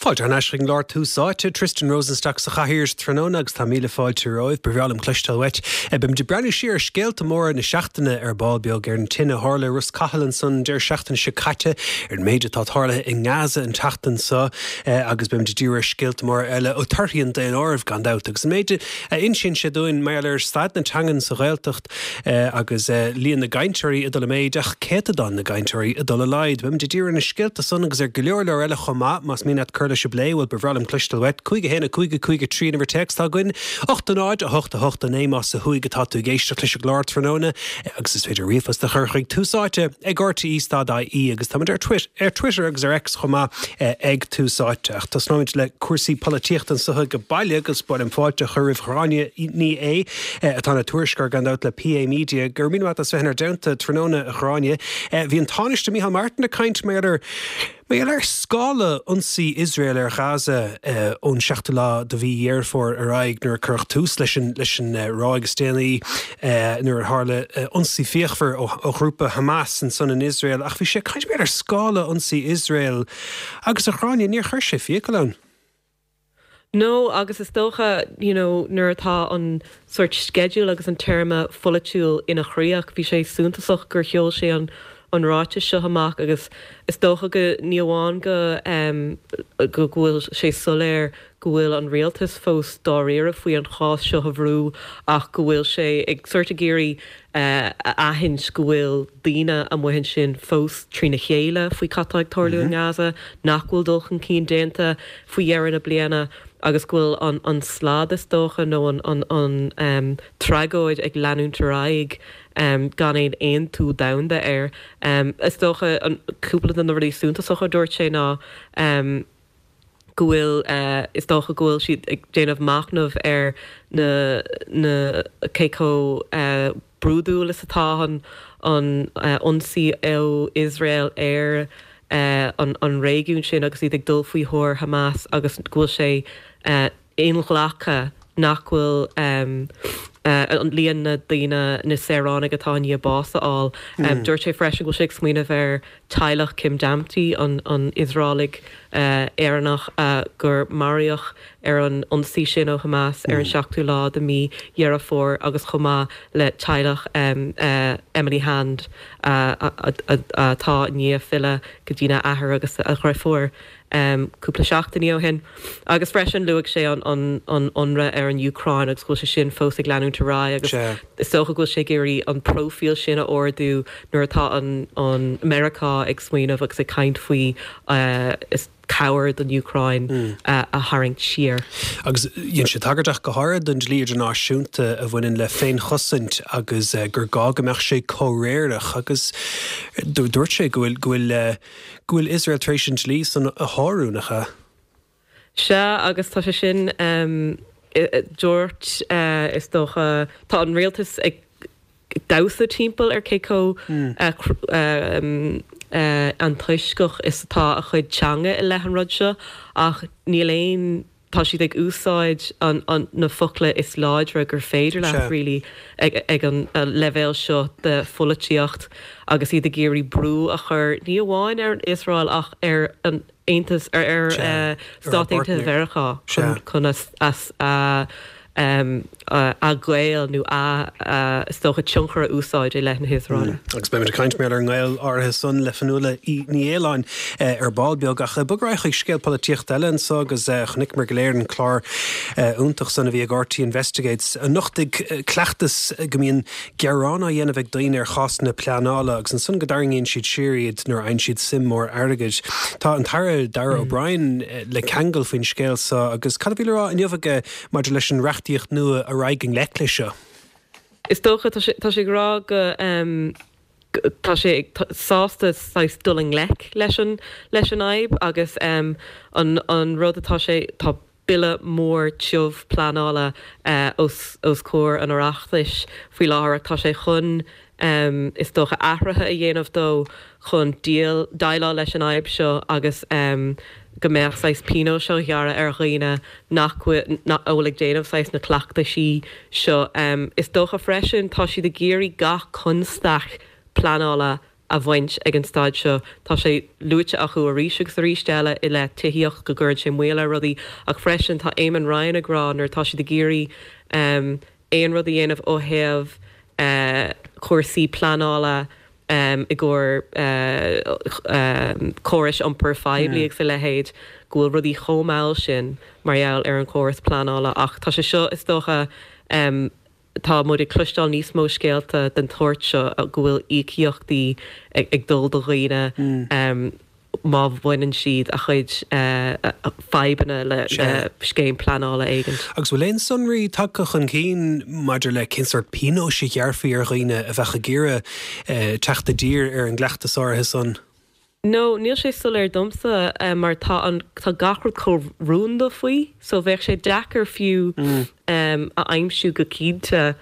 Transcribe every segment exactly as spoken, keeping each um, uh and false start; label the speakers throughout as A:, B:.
A: Fáilte thar n-ais chuig an gclár Tús Áite, Tristan Rosenstock sa chathaoir tráthnóna agus tá míle fáilte romhaibh, ba bhreá liom cloisteáil uait. Beimid ag breathnú siar ar scéalta móra na seachtaine ar ball beag ar an tine a tharla i Ros Cathail ansan deireadh seachtaine seo caite, ar an méid atá tarlaithe i nGaza an tseachtain seo agus beimid ag díriú ar scéalta móra eile ó torthaí an daonáirimh gan dabht agus an méid a insíonn sé dúinn mar gheall ar staid na teangan sa Ghaeltacht agus líon na gcainteoirí ag dul i méid ach céatadán na gcainteoirí ag dul i laghad. Beimid ag díriú ar na scéalta san agus ar go leor leor eile chomh maith más mian leat cur leis an bplé bhuel ba bhreá liom cloisteáil uait cúig a haon a cúig a cúig a trí an uimhir téacs atá againn ocht a náid a hocht a hocht a naoi más ó thuaidh atá tú ag éisteacht leis an gclár tráthnóna agus is féidir ríomhphost a chur chuig tús áite ag RTE stad IE agus táimid ar Twit ar Twitter agus ar X chomh maith ag Tús Áite. Ach tosnóimid le cúrsaí polaitíochta anseo ag baile agus ba mhaith liom fáilte a chur roimh Ghráinne Ní Aodha atá ina tuairisceoir gan dabht le PA Media. Go raibh míle maith as bheith inár dteannta tráthnóna a Ghráinne. Bhí an Tánaiste Micheál Martin ag caint mar ar Mar gheall ar scála ionsaí Iosrael ar Ghaza ón seachtú lá de mhí Dheireadh Fómhair ar aghaidh nuair a cuireadh tús leis an leis an ráig is déanaí nuair a tharla ionsaí fíochmhar ó ó ghrúpa Hamas ansan in Iosrael ach bhí sé ag caint mar gheall ar scála ionsaí Iosrael agus a Ghráinne níor chuir sé fiacail ann.
B: No agus is dócha you know, nuair atá an sort schedule agus an téarma pholaitiúil ina chríoch, bhí sé suntasach gur sheol sé an an ráiteas seo amach agus is dócha go ní amháin go um, go bhfuil sé soiléir go bhfuil an rialtas fós dáiríre faoi an chás seo a bhrú ach go bhfuil sé ag sort ag iarraidh uh, a aithint go bhfuil daoine amuigh ansin fós trína chéile faoi cad tá ag tarlú in Gaza, nach bhfuil dul chun cinn déanta faoi dheireadh na bliana agus go bhfuil an, an slad is dócha nó an, an, an um, tragóid ag leanúint ar aghaidh um, gan aon aontú domhanda air. Um, is dócha an cúpla de na rudaí suntasacha a dúirt sé ná um, go bhfuil uh, is dócha go bhfuil siad ag déanamh machnamh ar na na cé chomh uh, brúidiúil is atá an an uh, ionsaí ó Iosrael ar uh, an, an réigiún sin agus iad ag dul faoi thóir Hamas agus go bhfuil sé uh, inghlactha nach bhfuil um, uh, an líon na daoine na saoránaigh atá i ndiaidh bás a fháil. Um, mm. Dúirt sé freisin go bhfuil sé ag smaoineamh ar teaghlach Kim Damti an, an Iosraelach uh, Éireannach uh, gur maraíodh ar an ionsaí sin ó Hamas mm. ar an seachtú lá de mí Dheireadh Fómhair agus chomh maith le teaghlach um, uh, Emily Hand atá uh, ní file go dtína athair agus a dheirfiúr. um, cúpla seachtain ó shin. Agus freisin luaigh sé an, an, an ionradh ar an Úcráin agus go bhfuil sé sin fós ag leanúint ar aghaidh agus is dócha go bhfuil sé ag iarraidh an profile sin a ardú nuair atá an, an Meiriceá ag smaoineamh agus ag caint faoi uh, is cabhair don Úcráin mm. uh, a tharraingt siar.
A: Agus dhein sé tagairt go háirithe don dlí idirnáisiúnta a bhaineann le féinchosaint agus uh, gur gá go mbeadh sé comhréireach agus dúirt sé go bhfuil go bhfuil uh, go bhfuil Iosrael tar éis an dlí san a shárú nach ea.
B: Sea agus tá sé sin um, dúirt uh, is dócha tá an rialtas ag damhsa timpeall ar cé chomh mm. uh, um, uh, antoisceach is atá a chuid teanga i leith an rud seo ach níl aon tá siad ag úsáid an, an, na focla is láidre gur féidir leat really ag, ag an leibhéal seo de pholaitíocht agus iad ag iarraidh brú a chur ní amháin ar an Iosrael ach ar an Aontas ar ar uh, Stáit Aontaithe Mheiriceá chun, chun as, as uh, um, uh, a ghaol nó a uh, is dócha tionchar a úsáid i leith na hIosraeile.
A: Mm. Agus beimid ag caint méid ar an ngaol áirithe san le Fionnuala Ní Aoláin uh, ar ball beag ach bog ar aghaidh chuig scéal polaitíochta eile anseo agus uh, chonaiceamar go léir an clár uh, iontach san a bhí ag RTÉ Investigates a nochtaigh uh, cleachtas go mbíonn gearán á dhéanamh ag daoine ar chásanna pleanála agus ansan go dtarraingíonn siad siar iad nuair a fhaigheann siad suim mór airgid. Tá an tAire Darragh mm. O'Brien uh, le ceangal faoin scéal seo agus cad a bhí le rá inniu aige maidir leis an reachtaíocht nua a raghaidh i ngleic leis seo.
B: Is dócha tá sé ag rá go um, tá sé sásta saghas dul i ngleic leis an leis an fhadhb agus um, an, an rud atá sé tá bille mór tiubh pleanála uh, os, os comhair an Oireachtais faoi láthair tá sé chun um, is dócha athruithe a dhéanamh dó chun díl déileáil leis an fhadhb seo agus um, go mbeadh saghas pionós á ghearradh ar dhaoine nach bhfuil ag déanamh saghas na cleachtaisí seo. Um, is dócha freisin tá siad ag iarraidh gach constaic pleanála a bhaint ag an staid seo. Tá sé luaite acu arís agus arís eile i leith tithíocht go gcuireann sé moill ar rudaí ach freisin tá Eamon Ryan ag rá nuair atá siad ag iarraidh um, aon rud a dhéanamh ó thaobh uh, cúrsaí pleanála um, i gcomhair uh, um, córais iompair phoiblí mm. agus a leithéid go bhfuil rudaí chomh mall sin mar gheall ar an chóras pleanála ach tá sé seo is dócha um, tá muid ag cloisteáil níos mó scéalta den tsórt seo go bhfuil íocaíochtaí ag, ag dul do dhaoine mm. um, má bhaineann siad a chuid uh, fadhbanna le, le scéim pleanála éigin.
A: Agus bhfuil aon sonraí tagtha chun cinn maidir le cén sórt pionóis a ghearrfaí ar dhaoine a bheadh ag iarraidh uh, teacht i dtír ar an gcleachtas áirithe san?
B: No, níl sé soiléir domsa um, mar tá an tá gach rud chomh rúnda faoi, so bheadh sé deacair fiú mm. um, a aimsiú go cinnte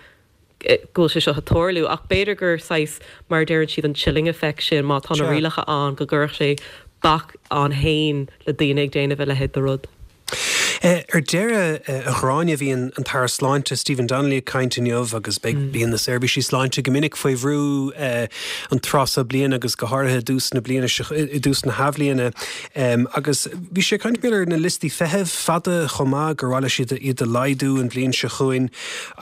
B: go bhfuil sé seo ag tarlú ach b'fhéidir gur saghas mar deireann siad an chilling effect sin má tá na rialacha ann go gcuirfeadh sé bac ann féin le daoine ag déanamh a leithéid de rud.
A: Eh, ar deireadh eh, a Ghráinne bhí an tAire Sláinte Stephen Donnelly ag caint inniu agus mm. bíonn na seirbhísí sláinte go minic faoi bhrú eh, an tráth seo bliana agus go háirithe i dtús na bliana i dtús na hathbhliana agus bhí sé ag caint ar na liostaí feithimh fada chomh maith gur mhaith leis siad iad a laghdú an bhliain seo chugainn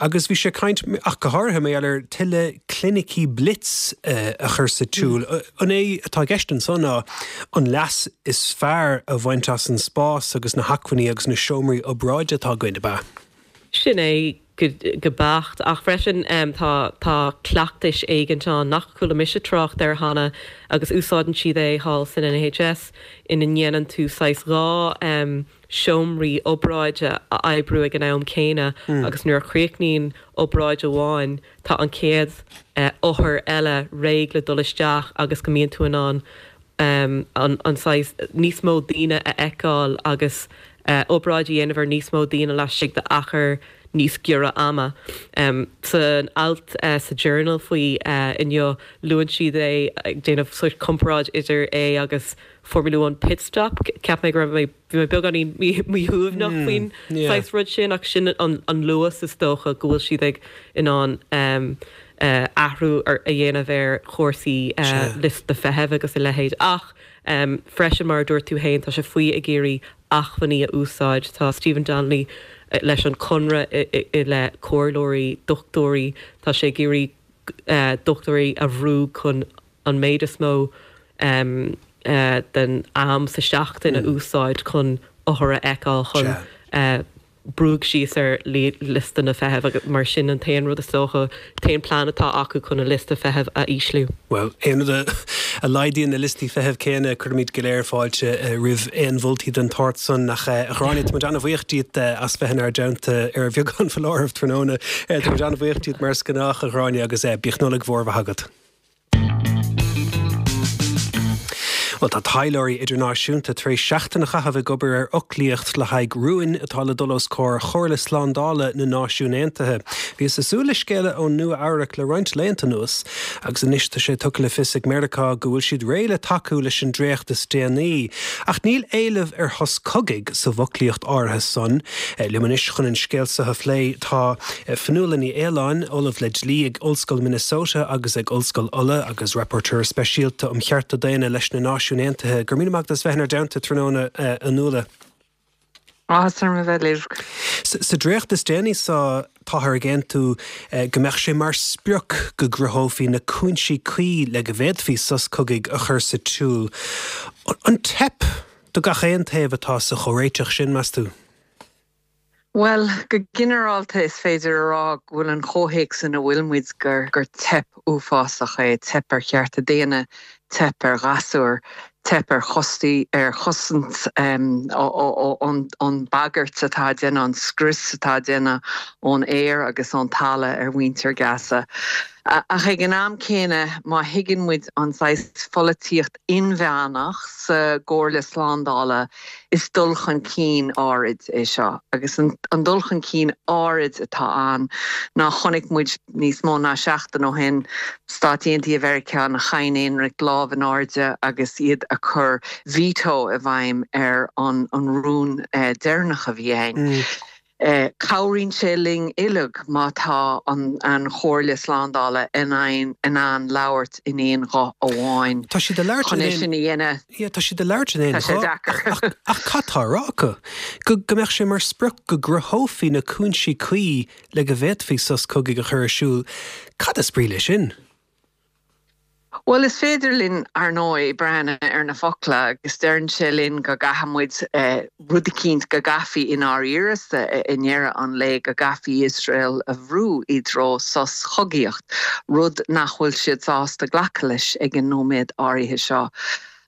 A: agus bhí sé ag caint ach go háirithe mar gheall ar tuilleadh clinicí blitz a chur sa tsiúl. Mm. An é atá i gceist ansan ná an leas is fearr a bhaint as an spás agus na hacmhainní agus na seomraí obráide atá againn ab ea.
B: Sin é go, go beacht ach freisin um, tá, tá cleachtais éigin ann nach chuala mise trácht air cheana agus úsáideann siad é thall san NHS ina ndéanann tú saghas dhá um, seomraí obráide a oibriú ag an am céanna mm. agus nuair a chríochnaíonn obráid amháin tá an chéad uh, othar eile réidh le dul isteach agus go mbíonn tú in ann um, an, an saghas níos mó daoine a fheiceáil agus uh, obráid a dhéanamh ar níos mó daoine laistigh d'achar níos giorra ama. Um, san alt uh, sa Journal faoi uh, inniu luann siad é ag déanamh sórt comparáid idir é agus Formula One pit stop Ceap mé go raibh mé bhí mé beagáinín míshuaimhneach mm, faoin yeah. saghas rud sin ach sin an, an luas is dócha go bhfuil siad ag in ann um, uh, athrú ar a dhéanamh ar chúrsaí uh, liosta feithimh agus a leithéid ach um, freisin mar dúirt tú féin tá sé faoi ag iarraidh acmhainní a úsáid tá Stephen Donnelly eh, leis an conradh i le comhairleoirí dochtúirí tá sé ag iarraidh uh, dochtúirí a bhrú chun an méid is mó um, uh, den am sa seachtain a mm. úsáid chun othair a fheiceáil chun uh, brú síos ar liosta na feithimh agus mar sin an t-aon rud is dócha t-aon plean atá acu chun an liosta feithimh a ísliú.
A: Well aon rud a laghdaíonn na liostaí feithimh céanna cuirimid go léir fáilte eh, roimh aon mholtaí den tsórt san ach eh, a Ghráinne tá muid an-bhuíoch díot eh, as bheith inár dteannta ar bheagán foláirimh tráthnóna tá muid an-bhuíoch díot mar is gnách a Ghráinne agus bíodh Nollaig mhór mhaith agat. Bhuel, tá taidhleoirí idirnáisiúnta tar éis seachtain a chaitheamh ag obair ar fhoclaíocht le haghaidh rúin atá le dul os comhair Chomhairle Slándála na Náisiún Aontaithe. Bhíothas ag súil le scéala ó Nua Eabhrac le roinnt laethanta anuas, agus anois tá sé tugtha le fios ag Meiriceá go bhfuil siad réidh le tacú leis an dréacht is déanaí. Ach níl éileamh ar shos cogaidh sa bhfoclaíocht áirithe san. Liom anois chun an scéal seo a phlé tá Fionnuala Ní Aoláin, Ollamh le Dlí ag Ollscoil Minnesota agus ag Ollscoil Uladh agus Rapporteur Speisialta um Chearta Daonna leis na Náisiúin Aontaithe. Go raibh míle maith agat as bheith inár dteannta tráthnóna, a Fhionnuala.
C: Áthas orm a bheith libh.
A: Sa dréacht is déanaí so táthar ag aontú go mbeadh sé mar sprioc go gcruthófaí na cúinsí cuí le go bhféadfaí sos cogaidh a chur sa tsiúl. An teip do gach aon taobh atá sa chomhréiteach sin, meas tú?
C: Bhuel, go ginearálta is féidir a rá go bhfuil an comhthéacs ina bhfuil muid gur gur teip uafásach é, teip ar chearta daonna, teip ar ghasúir, teip ar chostaí ar chosaint ón bagairt atá á déanamh, an scrios atá á déanamh ón aer agus ón talamh ar mhuintir Gaza. Ach ag an am céanna, má thuigeann muid an saghas pholaitíocht inmheánach sa gComhairle Slándála, is dul chun cinn áirid é seo. Agus an dul chun cinn áirid atá ann ná chonaic muid níos mó ná seachtain ó shin, Stáit Aontaithe Mheiriceá ina cheann aonraic lámh in airde agus iad a cur veto i bhfeidhm ar an rún deireanach a bhí ann. Cabhraíonn sé linn uilig má tá an an Chomhairle Slándála in ann in ann labhairt in aon ghuth amháin.
A: Tá siad ag labhairt
C: in aon sin a dhéanamh.
A: Yeah, tá siad ag labhairt in aon
C: Tá sé deacair.
A: Ach cad tá á rá acu? Go go mbeadh sé mar sprioc go gcruthófaí na cúinsí cuí le go bhféadfaí sos cogaidh a chur ar siúl. Cad is brí leis sin?
C: Bhuel is féidir linn ar ndóigh breathnú ar na focla agus deireann sé linn go gcaithfidh muid eh, rud eicínt go gcaithfí i ndáiríre i ndeireadh an lae go gcaithfí Iosrael a bhrú i dtreo sos chogaíocht, rud nach bhfuil siad sásta glacadh leis ag an nóiméad áirithe seo.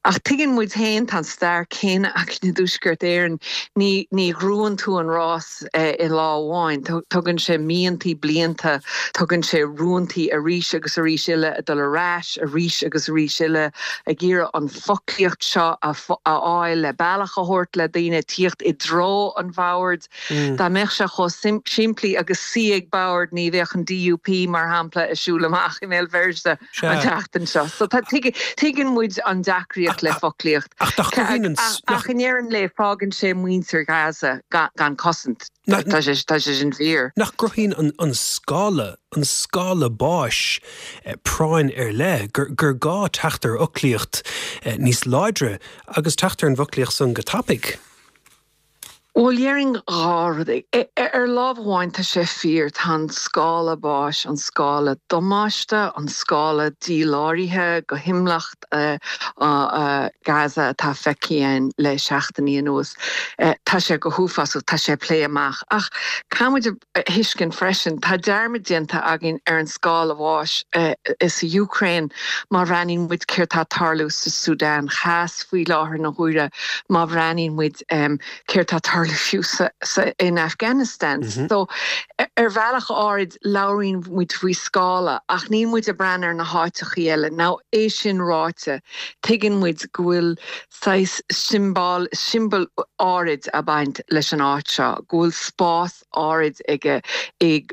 C: Ach tuigeann muid féin tá an stair céanna againn i dTuaisceart Éireann ní ní ghnóthaíonn tú an rás eh, i lá amháin, Tugann sé míontaí blianta, tugann sé rúntaí arís agus arís eile a dul ar ais arís agus arís eile ag iarraidh an foclaíocht seo a fháil le bealach a thabhairt le daoine tíocht i dtreo an bhoird. Mm. Dá mbeadh sé chomh simplí agus suí ag bord ní bheadh an DUP mar shampla ag siúl amach i mBéal Feirste an tseachtain seo. So tuigeann muid an deacracht le foclaíocht.
A: Ach
C: ach i ndeireadh an lae fágann sé muintir Gaza gan cosaint Tá sé sin fíor.
A: Nach gcruthaíonn an scála an scála báis eh, práinn ar leith gur, gur gá teacht ar fhoclaíocht eh, níos láidre agus teacht ar an bhfoclaíocht san go tapaidh.
C: Bhuel déarfainn dhá rud ar lámh amháin tá sé fíor tá an scála báis an scála damáiste an scála díláraithe go hiomlán uh, uh, Gaza atá feicthe le seachtainí anuas. Uh, tá sé go huafásach tá sé plé amach ach caithfimid a thuiscint freisin tá dearmad déanta againn ar an scála báis uh, is sa Ukraine má bhreathnaíonn muid céard tá ag tarlú sa Sudan Theas faoi láthair na huaire má bhreathnaíonn muid um, céard tá ag tarlú fiú sa, sa, in Afghanistan. Mm -hmm. So ar bhealach áirid labhraíonn muid faoi scála ach níl muid ag breathnú ar na háiteachaí eile. Now é sin ráite tuigeann muid go bhfuil siombail siombail áirid ag baint leis an áit seo, go bhfuil spás áirid aige i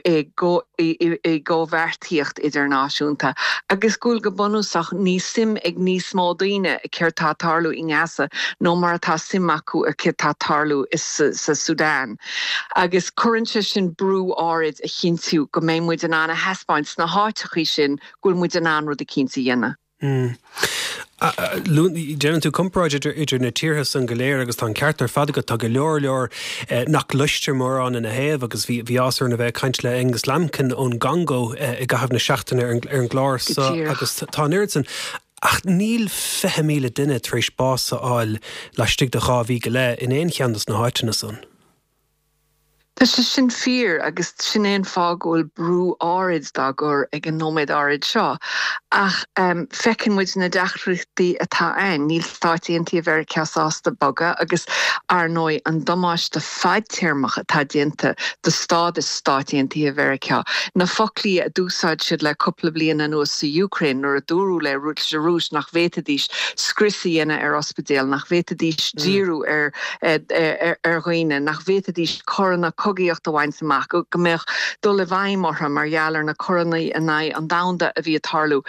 C: gcomhbheartaíocht idirnáisiúnta. agus go bhfuil go bunúsach níl suim ag níos mó daoine céard tá ag tarlú i nGaza ná mar atá suim acu ar céard tá ag tarlú is sa Sudan. Agus cuireann sé sin brú áirid a chinntiú go mbeidh muid in ann a thaispeáint sna háiteachaí sin go bhfuil muid in ann rud eicínt a dhéanamh.
A: Mm. Déanann tú comparáid idir idir na tíortha san go léir agus tá an ceart ar fad agat tá go leor leor eh, nach gcloistear mórán ina thaobh agus bhí bhí áthas orm a bheith ag caint le Angus Lambkin ón gCongó eh, i gcaitheamh na seachtaine ar an gclár so agus tá an oiread san ach níl fiche míle duine tar éis bás a fháil laistigh de dhá mhí go leith in aon cheann de na háiteanna san.
C: Tá sé sin fíor agus sin é an fáth go bhfuil brú áirid dá gcur ag an nóiméad áirid seo. Ach um, feiceann muid na deacrachtaí atá ann, níl Stáit Aontaithe Mheiriceá sásta bogadh agus ar ndóigh an damáiste fadtéarmach atá déanta do stádas Stáit Aontaithe Mheiriceá. Na foclaí a d'úsáid siad le cúpla bliain anuas sa Ukraine nuair a dúradh le an Rúis nach bhféadfaidís scrios a dhéanamh ar ospidéal, nach bhféadfaidís mm. díriú ar, ar, ar, ar dhaoine, nach bhféadfaidís coireanna cogaíocht a bhaint amach go mbeadh dul i bhfeidhm orthu mar gheall ar na coireanna in aghaidh an domhain a bhí ag tarlú.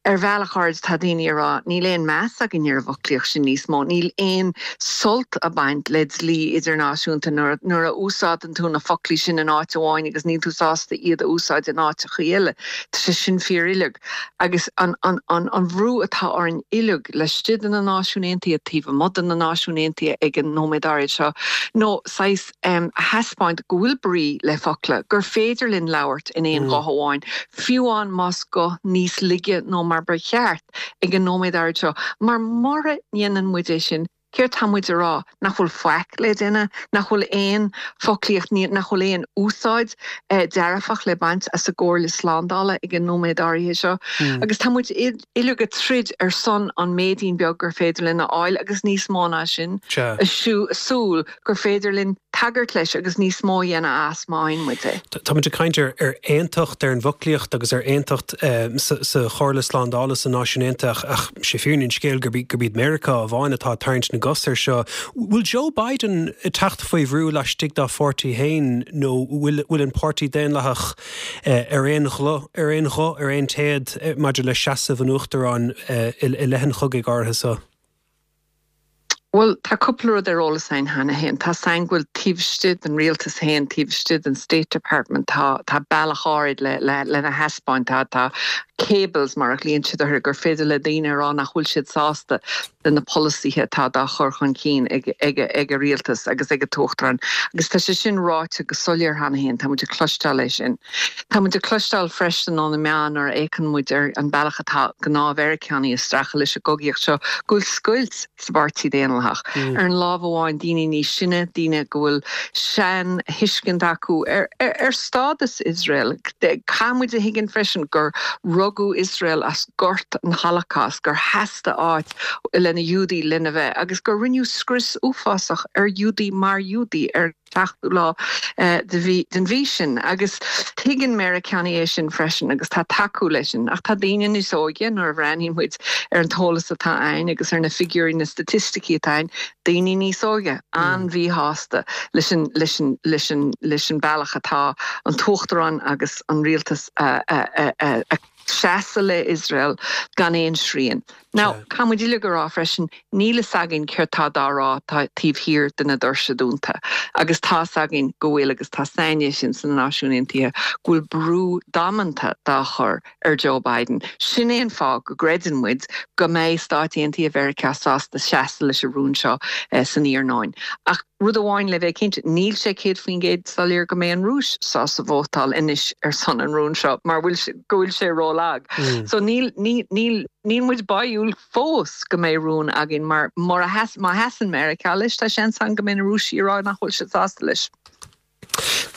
C: Ar bhealach áirid tá daoine ag rá níl aon meas againn ar an bhfoclaíocht sin níos mó, níl aon sult ag baint le dlí idirnáisiúnta nuair a úsáideann tú na foclaí sin in áit amháin agus níl tú sásta iad a úsáid in áiteachaí eile. Tá sé sin fíor uilig agus an, an, an, an bhrú atá orainn uilig laistigh de na Náisiúin Aontaithe taobh amuigh de na Náisiúin Aontaithe ag an nóiméad áirid seo nó saghas um, a thaispeáint go bhfuil brí le focla gur féidir linn labhairt in aon mm. ghuth amháin fiú amháin más guth níos laige ná mar ba cheart ag an nóiméad áirid seo mar mura ndéanann muid é sin Céard tá muid a rá nach bhfuil faic le déanamh, nach bhfuil aon foclaíocht nach bhfuil aon úsáid eh, dearfach le baint as an gComhairle Slándála ag an nóiméad áirithe seo. Mm. Agus tá muid uilig ag troid ar son an méidín beag gur féidir linn a fháil agus níos mó ná sin súil gur féidir linn tagairt leis agus níos mó a dhéanamh as má fhaigheann muid é.
A: Tá muid ag caint ar ar aontacht ar an bhfoclaíocht agus ar aontacht um, sa Chomhairle Slándála sna Náisiúin Aontaithe ach sé fírinne an scéil gurb gurb iad Meiriceá amháin atá ag tarraingt na gcos air seo. Bhfuil Joe Biden teacht faoi bhrú laistigh dá pháirtí féin nó bhfuil an páirtí Daonlathach uh, ar aon ghuth ar aon ghuth ar aon téad eh, maidir le seasamh an uachtaráin uh, i leith an chogaidh áirithe seo?
C: Bhuel, tá cúpla rud ar eolas againn cheana féin. Tá a fhios againn go bhfuil taobh istigh den rialtas féin, taobh istigh den State Department, tá tá bealach áirid le le lena thaispeáint, tá tá cables mar a ghlaonn siad orthu gur féidir le daoine a rá nach bhfuil siad sásta le na polasaithe atá dá chur chun cinn ag ag ag an rialtas agus ag an t-uachtarán. Agus tá sé sin ráite go soiléir cheana féin, tá muid ag cloisteáil é sin. Tá muid ag cloisteáil freisin ó na meáin nuair a fhéachann muid ar an bealach atá gnáth-Mheiriceánaigh ag streachailt leis an gcogaíocht seo go bhfuil scoilt sa bPáirtí Daonlathach. Ar an lámh amháin daoine níos sine, daoine go bhfuil sean-thuiscint acu ar ar ar stádas Iosrael. Caithfidh muid a thuigean freisin gur rugadh Iosrael as gort an Holocaust, gur theastaigh áit le na Giúdaigh lena bheith agus gur rinneadh scrios uafásach ar Ghiúdaigh mar Ghiúdaigh ar seachtú lá de mhí den mhí sin agus tuigeann Meiriceánaigh é sin freisin agus tá tacú leis sin. Ach tá daoine níos óige nuair a bhreathnaíonn muid ar an t-eolas atá ann agus ar na figiúirí na staitisticí atá ann, daoine níos óige an-mhíshásta leis an leis an leis an leis an bealach atá an t-uachtarán agus an rialtas a a a a a seasamh le Iosrael gan aon srian. Now, caithfidh muid uilig a rá freisin, níl fhios againn céard tá dá rá taobh thiar de na doirse dúnta. Agus tá fhios againn go bhfuil agus tá saine sin sna Náisiúin Aontaithe go bhfuil brú damanta dá chur ar Joe Biden. Sin é an fáth go gcreideann muid go mbeidh Stáit Aontaithe Mheiriceá sásta seasamh leis an rún seo eh, san iarnóin. Ach rud amháin le bheith cinnte, níl sé céad faoin gcéad soiléir go mbeidh an Rúis sásta vótáil anois ar son an rún seo, mar bhfuil go bhfuil sé rólag. Mm. So níl níl níl níl muid báúil fós go mbeidh rún againn mar mar má sheasann Meiriceá leis tá seans ann go mbeidh na Rúisigh ag rá nach bhfuil siad sásta leis.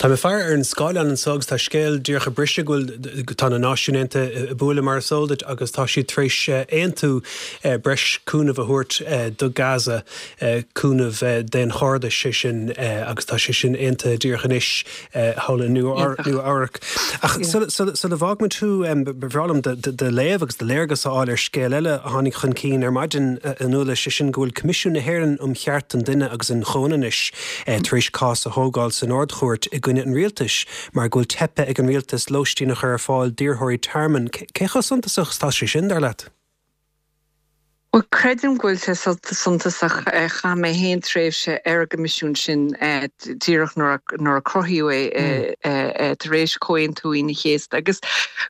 A: Tá mé ag faire ar an scáileán anseo agus tá scéal díreach ag briseadh go bhfuil tá na Náisiúin Aontaithe ag bualadh mar is eol duit agus tá siad tar éis aontú breis cúnamh a thabhairt do Gaza cúnamh daonchairdis sé sin agus tá sé sin aontaithe díreach anois thall i Nua-Eabhrac. Ach sula bhfágfaidh mé tú ba bhreá liom do léamh agus do léargas a fháil ar scéal eile a tháinig chun cinn ar maidin a Nuala sé sin go bhfuil Coimisiún na hÉireann um Chearta an Duine agus an Chomhionannais tar éis cás a thógáil san Ard-Chúirt i gcoinne an rialtais mar go bhfuil teipthe ag an rialtas lóistín a chur ar fáil d'iarrthóirí tearmainn. Cé chomh suntasach tá sé sin dar leat?
C: Well creidim go bhfuil sé suntasach chaith mé féin tréimhse ar an gcoimisiún sin díreach nuair a cruthaíodh é tar éis Chomhaontú Aoine an Chéasta agus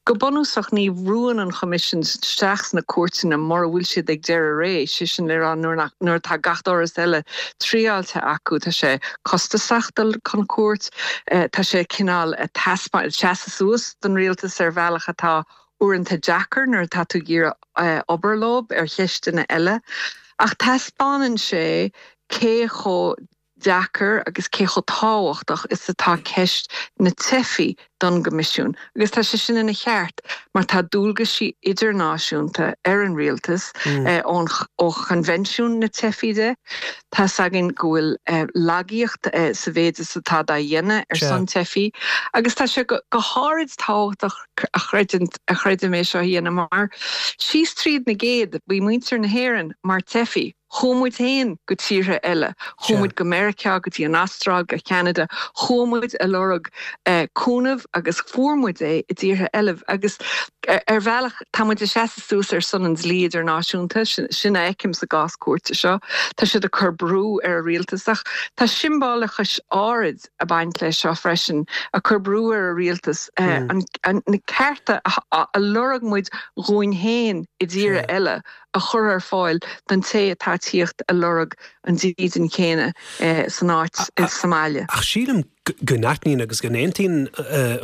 C: go bunúsach ní bhrúann an Coimisiún isteach sna cúirteanna mura bhfuil siad ag deireadh ré sé sin le rá nuair nuair atá gach doras eile triáilte acu tá sé costasach dul chun cúirt tá sé cineál taispeáint seasamh suas don rialtas ar bhealach atá uaireanta deacair nuair atá tú ag iarraidh obair leo ar cheisteanna eile, ach taispeánann sé cé chomh deacair agus cé chomh tábhachtach is atá ceist na teifigh don gCoimisiún. Agus tá sé sin ina cheart mar tá dualgaisí idirnáisiúnta ar an rialtas mm. eh, ón ó Choinbhinsiún na dTeifeach de. Tá againn go bhfuil eh, lagaíocht eh, sa mhéid is atá dá dhéanamh ar son teifigh, agus tá sé go, go háirid tábhachtach a chreidim a chreidim é seo a dhéanamh mar síos tríd na gcéad bhí muintir na hÉireann mar teifigh. Chuaigh muid féin go tíortha eile, chuaigh muid go Meiriceá go dtí an Astráil go Canada, chuaigh muid ag lorg eh, cúnamh agus fuair muid é i dtíortha eile agus ar bhealach tá muid ag seasamh suas ar son an dlí idirnáisiúnta sin a fheicim sa gcás cúirte seo, Tá siad ag cur brú ar a rialtas ach tá siombalachas áirid ag baint leis seo freisin a chur brú ar a rialtas eh, mm. na cearta a, a lorg muid dhúinn féin i dtíortha eile a chur ar fáil don té atá ag tíocht ag lorg an dídean chéanna eh, san áit sa mbaile.
A: Ach sílim go n-aithníonn agus go n-aontaíonn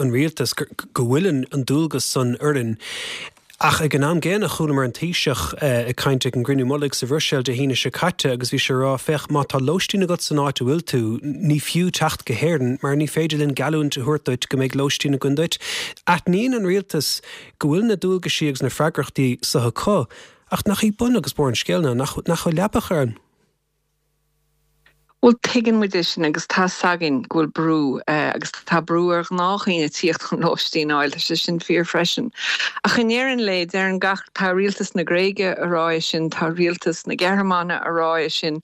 A: an rialtas go bhfuil an dualgas san orainn. Ach ag an am gcéanna chualamar an Taoiseach ag caint ag an gcruinniú mullaigh sa Bhruiséil Dé hAoine seo caite agus bhí sé ag rá féach má tá lóistín agat san áit a bhfuil tú, ní fiú teacht go hÉirinn mar ní féidir linn geallúint a thabhairt duit go mbeidh lóistín againn duit. Aithníonn an rialtas go bhfuil na dualgaisí agus na freagrachtaí seo acu, ach nach í bun agus barr an scéil ná nach nach bhfuil leaba ann.
C: Bhuel tuigeann muid é sin agus tá a fhios againn go bhfuil brú agus tá brú ar ghnáthdhaoine tíocht chun lóistín a fháil, tá sé sin fíor freisin. Ach i ndeireadh an lae, deireann gach, tá rialtas na Gréige a rá é sin, tá rialtas na Gearmáine a rá é sin,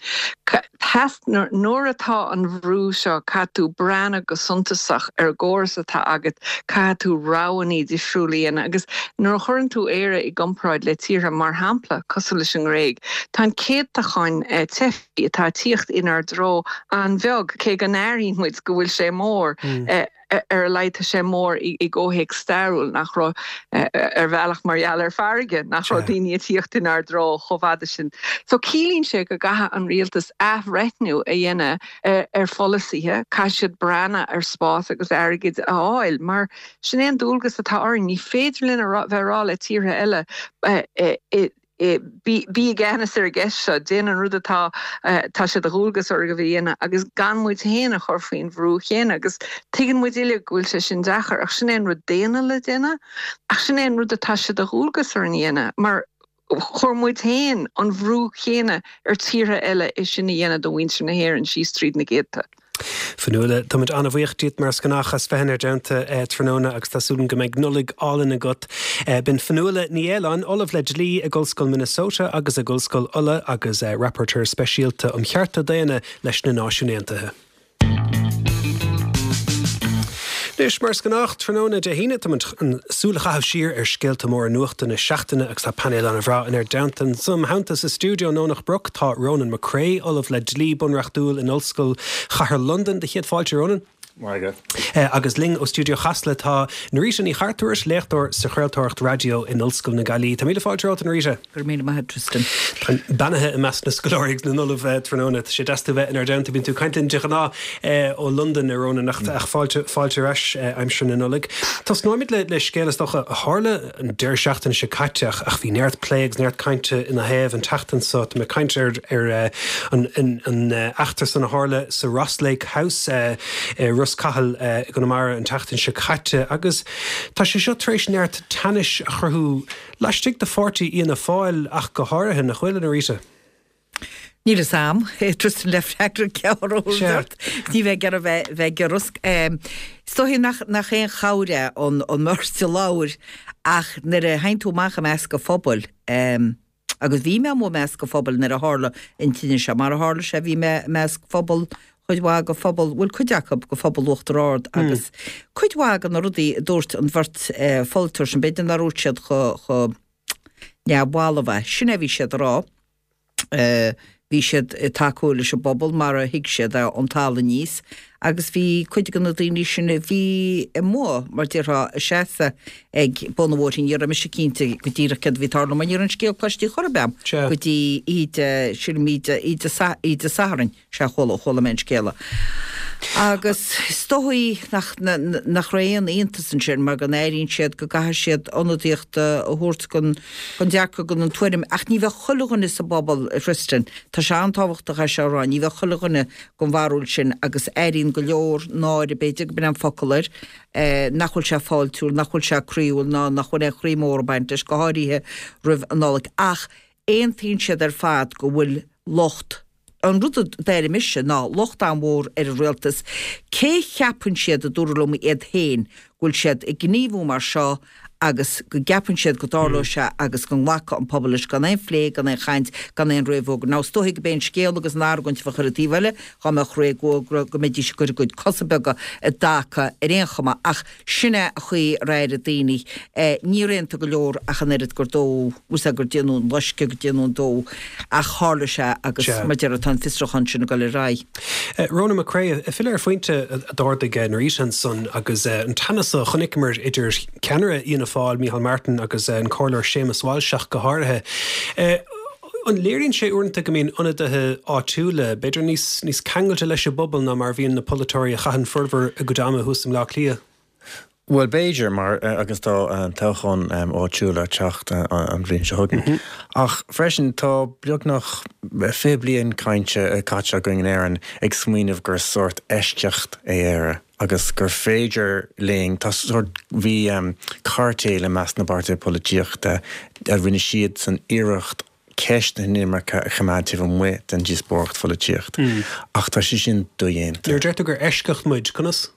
C: nuair atá an bhrú seo caithfidh tú breathnú go suntasach ar an gcóras atá agat, caithfidh tú roghanna difriúla a dhéanamh agus nuair a chuireann tú Éire i gcomparáid le tíortha mar shampla cosúil leis an nGréig, tá an céatadán teifigh atá ag tíocht inár dtreo an-bheag, cé go n-airíonn muid go bhfuil sé mór. Ar a laghad tá sé mór i gcomhthéacs stairiúil, nach raibh, ar bhealach mar gheall ar farraige, nach raibh daoine ag tíocht inár dtreo chomh fada sin. So ciallaíonn sé go gcaithfidh an rialtas athbhreithniú a dhéanamh ar pholasaithe, caithfidh siad breathnú ar spás agus airgead a fháil, mar sin é an dualgas atá orainn. Ní féidir linn a bheith ag rá le tíortha eile bí i gceannas ar an gceist seo, déan an rud atá tá sé de dhualgas oraibh a dhéanamh agus gan muid féin a chur faoin bhrú chéanna agus tuigeann muid uilig go bhfuil sé sin deacair ach sin é an rud daonna le déanamh ach sin é an rud atá sé de dhualgas orainn a dhéanamh mar chuir muid féin an bhrú chéanna ar tíortha eile é sin a dhéanamh do mhuintir na hÉireann síos tríd na gcéadta.
A: Fionnuala, táimid an-bhuíoch díot mar is gnách as bheith inár dteannta tráthnóna agus tá súil agam go mbeidh Nollaig álainn agat. B'in Fionnuala Ní Aoláin, Ollamh le Dlí ag Ollscoil Minnesota agus ag Ollscoil Uladh agus Rapporteur Speisialta um Chearta Daonna leis na Náisiúin Aontaithe. Anois, mar is gnách, tráthnóna Dé hAoine, táimid chun súil a chaitheamh siar ar scéalta móra nuachta na seachtaine agus tá painéal an-bhreá inár dteannta. Im theannta sa stiúideo i nDomhnach Broc tá Ronan McCrea, Ollamh le Dlí Bunreachtúil in Ollscoil Chathair Londan. Do chéad fáilte, Ronan.
D: Maith agat.
A: Agus linn ó stiúideo Chasla tá Norita Ní Chartúir, léachtóir sa chraoltóireacht raidió in Ollscoil na Gaillimhe. Tá míle fáilte romhat, a Norita.
E: Go raibh míle maith agat, Tristan.
A: Táim beannaithe i measc na scoláirí agus na n-ollamh tráthnóna. Tá sé deas tú bheith inár dteannta. Bíonn tú ag caint linn de ghnáth ó Londain, a Ronan, ach fáilte fáilte ar ais aimsir na Nollag. Tosnóimid le le scéal is dócha a tharla an deireadh seachtaine seo caite ach ach bhí neart plé agus neart cainte ina thaobh an tseachtain seo. Tá mé ag caint ar ar an an eachtra san a tharla sa Ross Lake House i Ros Cathail i gConamara an tseachtain seo caite agus tá sé seo tar éis neart teannais a chruthú laistigh de pháirtí Fhianna Fáil ach go háirithe, nach bhfuil, a Norita?
E: Níl fhios a'm, Tristan le freagra ceart a thabhairt ort. Ní bheith ag iarraidh bheith bheith giorrasc. Is dóichí nach nach aon chabhair é an an mbeirt a labhair ach nuair a théann tú amach i measc an phobail, agus bhí mé amuigh i measc an phobail nuair a tharla an tine seo, mar a tharla sé bhí mé i measc phobal, chuid mhaith de phobal, bhuel cuid acu de phobal Uachtar Ard agus cuid mhaith de na rudaí a dúirt an bheirt pholaiteoir sin, b'fhéidir nár dhúirt siad chomh neamhbhalbh é, sin é a bhí siad a rá. Bhí siad ag tacú leis an bpobal mar a thuig siad é ón talamh aníos agus bhí cuid de na daoine sin a bhí amuigh, mar déarfá, ag seasamh ag bun an bhóthair. Ní raibh mise cinnte go díreach céard a bhí ag tarlú mar ní raibh an scéal cloiste chor ar bith a'm go dtí oíche, sílim oíche, oíche Sathairn, sea chuala, chuala mé an scéala. Agus is dóigh nach, nach raibh aon iontas ansin mar go n-airíonn siad go gcaithfidh siad ionadaíocht a thabhairt don, don dearcadh, don tuairim. Ach ní bheadh chuile dhuine sa bpobal, a Thristan, tá sé an-tábhachtach é seo a rá, ní bheadh chuile dhuine den bharúil sin agus airíonn go leor náire, b'fhéidir go b'in an focal air, nach bhfuil sé fáiltiúil, nach bhfuil sé croíúil ná nach bhfuil aon chroí mór ag baint leis, go háirithe roimh an Nollaig. Ach aontaíonn siad ar fad go bhfuil locht, an rud a d'airigh mise ná locht an-mhór ar an rialtas. Cé cheapann siad, a dúradh liom, iad féin, go bhfuil siad ag gníomhú mar seo agus go gceapann siad go dtarlóidh sé agus go nglacfaidh an pobal leis gan aon phlé, gan aon chaint, gan aon réamhfhógra. Now is dóichí go b'é an scéal agus an argóint a bheadh ar an taobh eile dhá mbeadh réamhfhógra go mbeidís ag cur a gcuid cosa beaga i dtaca ar aon chuma ach sin é an chaoi ar airigh daoine. Níor aontaigh go leor ach an oiread gur dódh, bhfuil 's a'd, gur déanadh an loisceadh, gur déanadh an dó ach tharla sé agus mar a déarfá tá an fiosrúchán sin ag dul ar aghaidh.
A: Ronan McCrea, ag filleadh ar phointe a d'ardaigh Norita ansan agus an teannas a chonaiceamar idir ceannaire Fhianna Fáil, Micheál Martin agus an Comhairleoir Séamus Walsh ach go háirithe. An léiríonn sé uaireanta go mbíonn ionadaithe áitiúla, b'fhéidir, níos níos ceangailte leis an bpobal ná mar a bhíonn na polaiteoirí a chaitheann formhór a gcuid ama thuas i mBleá Cliath?
D: Bhuel, b'fhéidir, mar agus tá toghcháin áitiúla ag teacht an bhliain seo chugainn. Ach freisin, tá beagnach fiche bliain cainte caite againn in Éirinn ag smaoineamh gur sórt eisceacht é Éire agus gur féidir linn, tá sórt, bhí cairtéil i measc na bpáirtithe polaitíochta a rinne siadsan iarracht ceist na hinimirce a choimeád taobh amuigh den díospóireacht pholaitíocht. Ach tá sé sin dodhéanta.
A: Nuair a deir tú gur eisceacht muid, conas?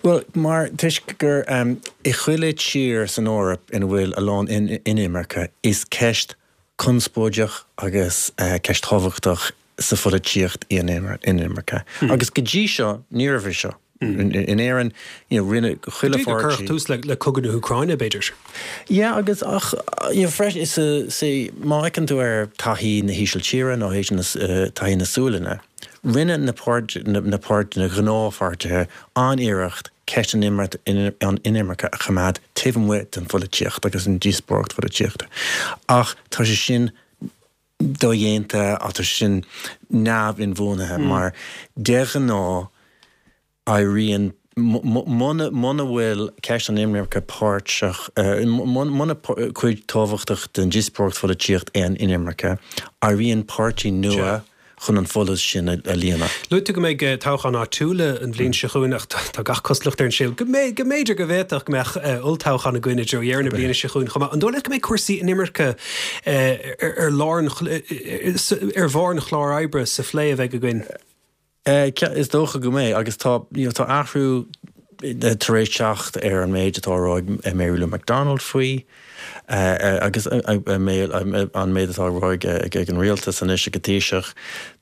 D: Bhuel, mar toisc gur i chuile tír san Eoraip ina bhfuil a lán inimirce, is ceist conspóideach agus ceist thábhachtach sa pholaitíocht í an inimirce. Agus go dtí seo, ní raibh é seo. In Éirinn, you know, rinne chuile
A: pháirtí. Go dtí gur cuireadh tús le cogadh na hÚcráine, b'fhéidir.
D: Yeah, agus ach, you know, freisin, is a, má fheiceann tú ar taithí na hÍsiltíre nó taithí na Sualainne, rinne na páirt, na páirt, na gnáthpháirtithe an-iarracht ceist an inimirce a choimeád taobh amuigh den pholaitíocht agus an díospóireacht pholaitíochta. Ach tá sé sin dodhéanta, tá sé sin neamh-inbhuanaithe mar de ghnáth éiríonn muna muna bhfuil ceist an inimirce páirteach, muna cuid tábhachtach den díospóireacht pholaitíocht é an inimirce, éiríonn páirtí nua chun an folús sin a líonadh.
A: Luaigh tú go mbeidh toghcháin áitiúla an bhliain seo chugainn ach tá gach cosúlacht ar an scéal go mbeidh, go mb'fhéidir go bhféadfadh go mbeadh olltoghchán againn i dtreo dheireadh na bliana seo chugainn chomh maith. An dóigh leat go mbeidh cúrsaí inimirce ar lár an, ar bharr an chláir oibre sa phlé a bheidh againn?
D: Is dócha go mbeidh agus tá, you know, tá athrú tar éis teacht ar an méid atá á rá ag Mary Lou McDonald faoi agus an méid atá á rá ag an rialtas anois ag an Taoiseach.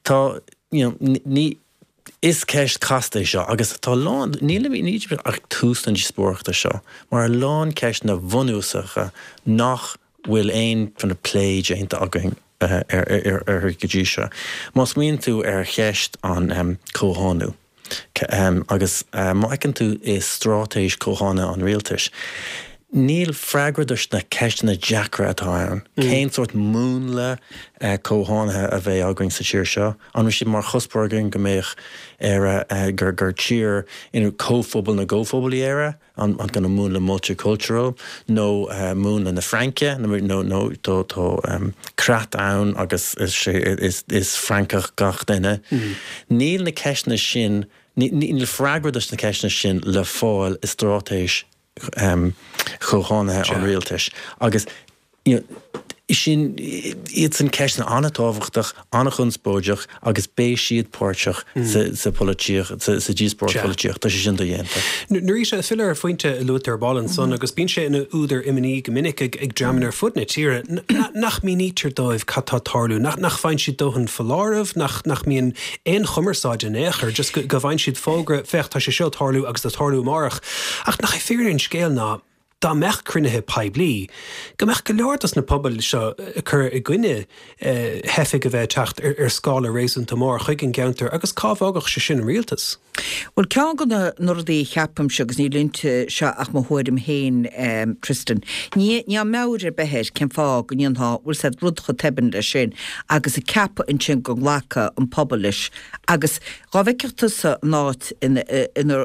D: Tá, you know, ní, is ceist chasta é seo agus tá a lán, nílimid ach tús na díospóireachta seo, mar a lán ceisteanna bunúsacha nach bhfuil aon kind of plé déanta againn uirthi go dtí seo. Má smaoiníonn tú ar cheist an comhthánú, agus má fheiceann tú i straitéis comhthánaithe an rialtais, níl freagra dos na ceisteanna deacra atá ann. Cén sórt múnla comhthánaithe a bheidh againn sa tír seo? An bhfuil sé mar chuspóir againn go mbeadh Éire, gur gur tír ina comhphobal na gcomhphobal í Éire? An an kind of múnla multicultural nó múnla na Fraince nó nó tá tá creat ann agus is sé is is Francach gach duine. Níl na ceisteanna sin níl freagra dos na ceisteanna sin le fáil i straitéis chomhthánaithe an rialtais agus you know, sin iad san ceisteanna an-tábhachtach, an-chonspóideach agus beidh siad páirteach sa pholaitíocht, sa díospóireacht pholaitíocht, tá sé sin dodhéanta.
A: Norita, ag filleadh ar phointe a luaigh tú ar ball ansan agus bíonn sé ina údar imní go minic ag dreamanna ar fud na tíre nach mínítear dóibh cad tá ag tarlú, nach bhfaigheann siad dóthain foláireamh, nach mbíonn aon chumarsáid in aon chor, just go bhfaigheann siad fógra, féach tá sé seo ag tarlú agus ag tarlú amárach. Ach nach é fírinne an scéil ná dá mbeadh cruinnithe poiblí, go mbeadh go leor dos na pobail seo ag cur i gcoinne theifigh a bheith ag teacht ar scála réasúnta mór chuig an gceantar agus cá bhfágfadh sé sin an rialtas?
E: Bhuel, ceann de na rudaí a cheapaimse, agus níl inti seo ach mo thuairim féin, Tristan, ní níl meabhair ar bith air cén fáth go ndéanfá, bhfuil 's a'd, rud chomh tobann leis sin agus ag ceapadh ansin go nglacfadh an pobal leis agus dhá bhfeicfeadh tusa an áit ina ina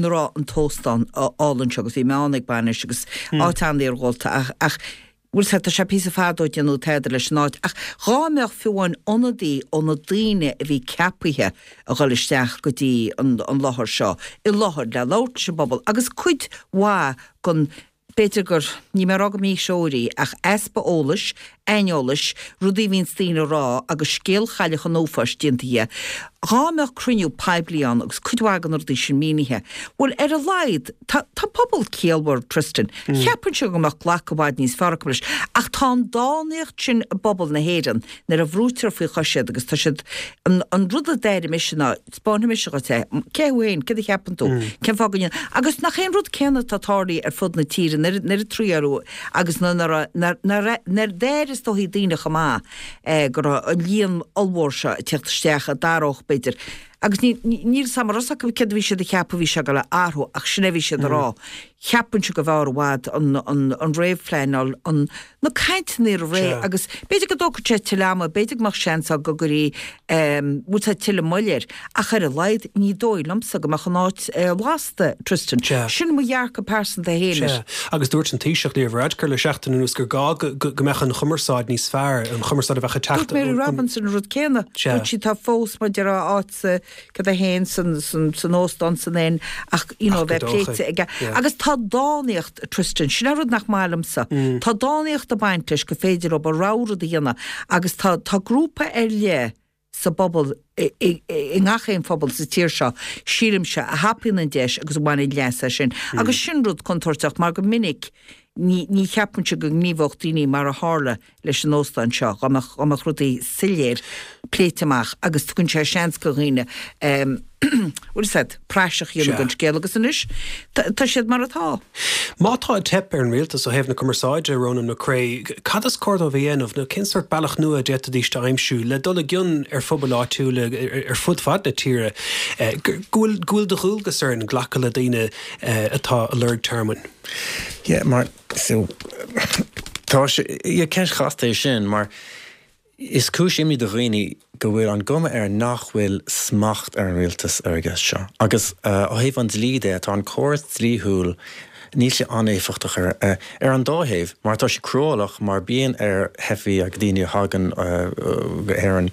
E: raibh an t-óstán álainn seo agus bhí mé ann ag bainis agus áit an-iargúlta ach ach bhfuil 's a'd tá sé píosa fada ó déanadh tada leis an áit ach dhá mbeadh fiú amháin ionadaí ó na daoine a bhí ceapaithe a dhul isteach go dtí an an láthair seo i láthair le labhairt leis an bpobal agus cuid mhaith den B'fhéidir gur, níl mé ag rá go míthreoir í, ach easpa eolais, aineolais, rudaí a bhíonns daoine a rá agus scéal Chailleach an Uafáis déanta dhe. Dhá mbeadh cruinniú poiblí ann agus cuid mhaith de na rudaí sin mínithe, bhuel, ar a laghad, tá, tá pobal ciallmhar, Tristan. Cheapfainnse go mbeadh glacadh i bhfad níos fearr acu leis. Ach tá an dánaíocht sin i bpobal na hÉireann nuair a bhrúitear faoi chois iad agus tá siad, an, an rud a d'airigh mise ná, 'Spáinfidh mise dhuit é. Cé thú féin? Céard a cheapann tú? Cén fáth go ndéan. Agus nach é an rud céanna atá tarlaithe ar fud na tíre, an oiread troid agus nuair a d'airigh is dóichí daoine chomh maith go raibh an líon ollmhór seo ag teacht isteach a d'athródh b'fhéidir. Agus níl 'fhios a'm an raibh 's acu céard a bhí siad a cheapadh a bhí sé ag dul a athrú ach sin é a bhí siad a rá. Cheapfainnse go mb'fhearr i bhfad an réamhphleanáil, an, na cainteanna roimh ré agus b'fhéidir go dtógfadh sé tuilleadh ama, b'fhéidir go mbeadh seans ann go gcuirfí, bhfuil 's a'd, tuilleadh moille air ach ar a laghad ní dóigh liomsa go mbeadh an áit lasta, Tristan. Sin mo dhearcadh pearsanta féin air.
A: Sea, agus dúirt an Taoiseach Leo Varadkar le seachtain anuas gur gá go mbeadh an chumarsáid níos fearr, an chumarsáid a bheadh ag teacht
E: Dúirt Mary Robinson an rud céanna. Dúirt sí tá fós mar a déarfá áit sa cad é féin san, san, san óstán san inn ach, you know, bheith pléite aige. Agus tá tá dánaíocht Tristan, sin an rud nach maith liomsa. Tá dánaíocht ag baint leis gur féidir leo a rogha rud a dhéanamh agus tá tá grúpa ar leith sa bpobal i i ngach aon phobal sa tír seo, sílimse, a thapaíonn an deis agus a bhaineann leas as sin. Agus sin rud contúirteach mar go minic ní ní cheapaimse go ngníomhódh daoine mar a tharla leis an óstán seo, dá mbeadh dá mbeadh rudaí soiléir pléite amach agus tugann sé seans go dhaoine bhfuil fhios a'd, praiseach a dhéanamh den scéal agus anois tá siad mar atá.
A: Má tá ag teip ar an rialtas ó thaobh na cumarsáide, Ronan McCrea, cad is cóir dóibh a dhéanamh nó cén sórt bealach nua a d'fhéadfaidís a aimsiú le dul i gcion ar phobail áitiúla ar fud fad na tíre go bhfuil go bhfuil de dhualgas orainn glacadh le daoine atá ag lorg tearmainn?
D: Yeah, mar so tá sé yeah, ceist chasta é sin mar is cúis imní do dhaoine go bhfuil an gcuma air nach bhfuil smacht ar an rialtas ar an gceist seo. Agus ó thaobh an dlí de, tá an córas dlíthiúil, níl sé an-éifeachtach ar ar an dá thaobh, mar tá sé cruálach mar bíonn ar theifigh agus daoine a thagann go hÉirinn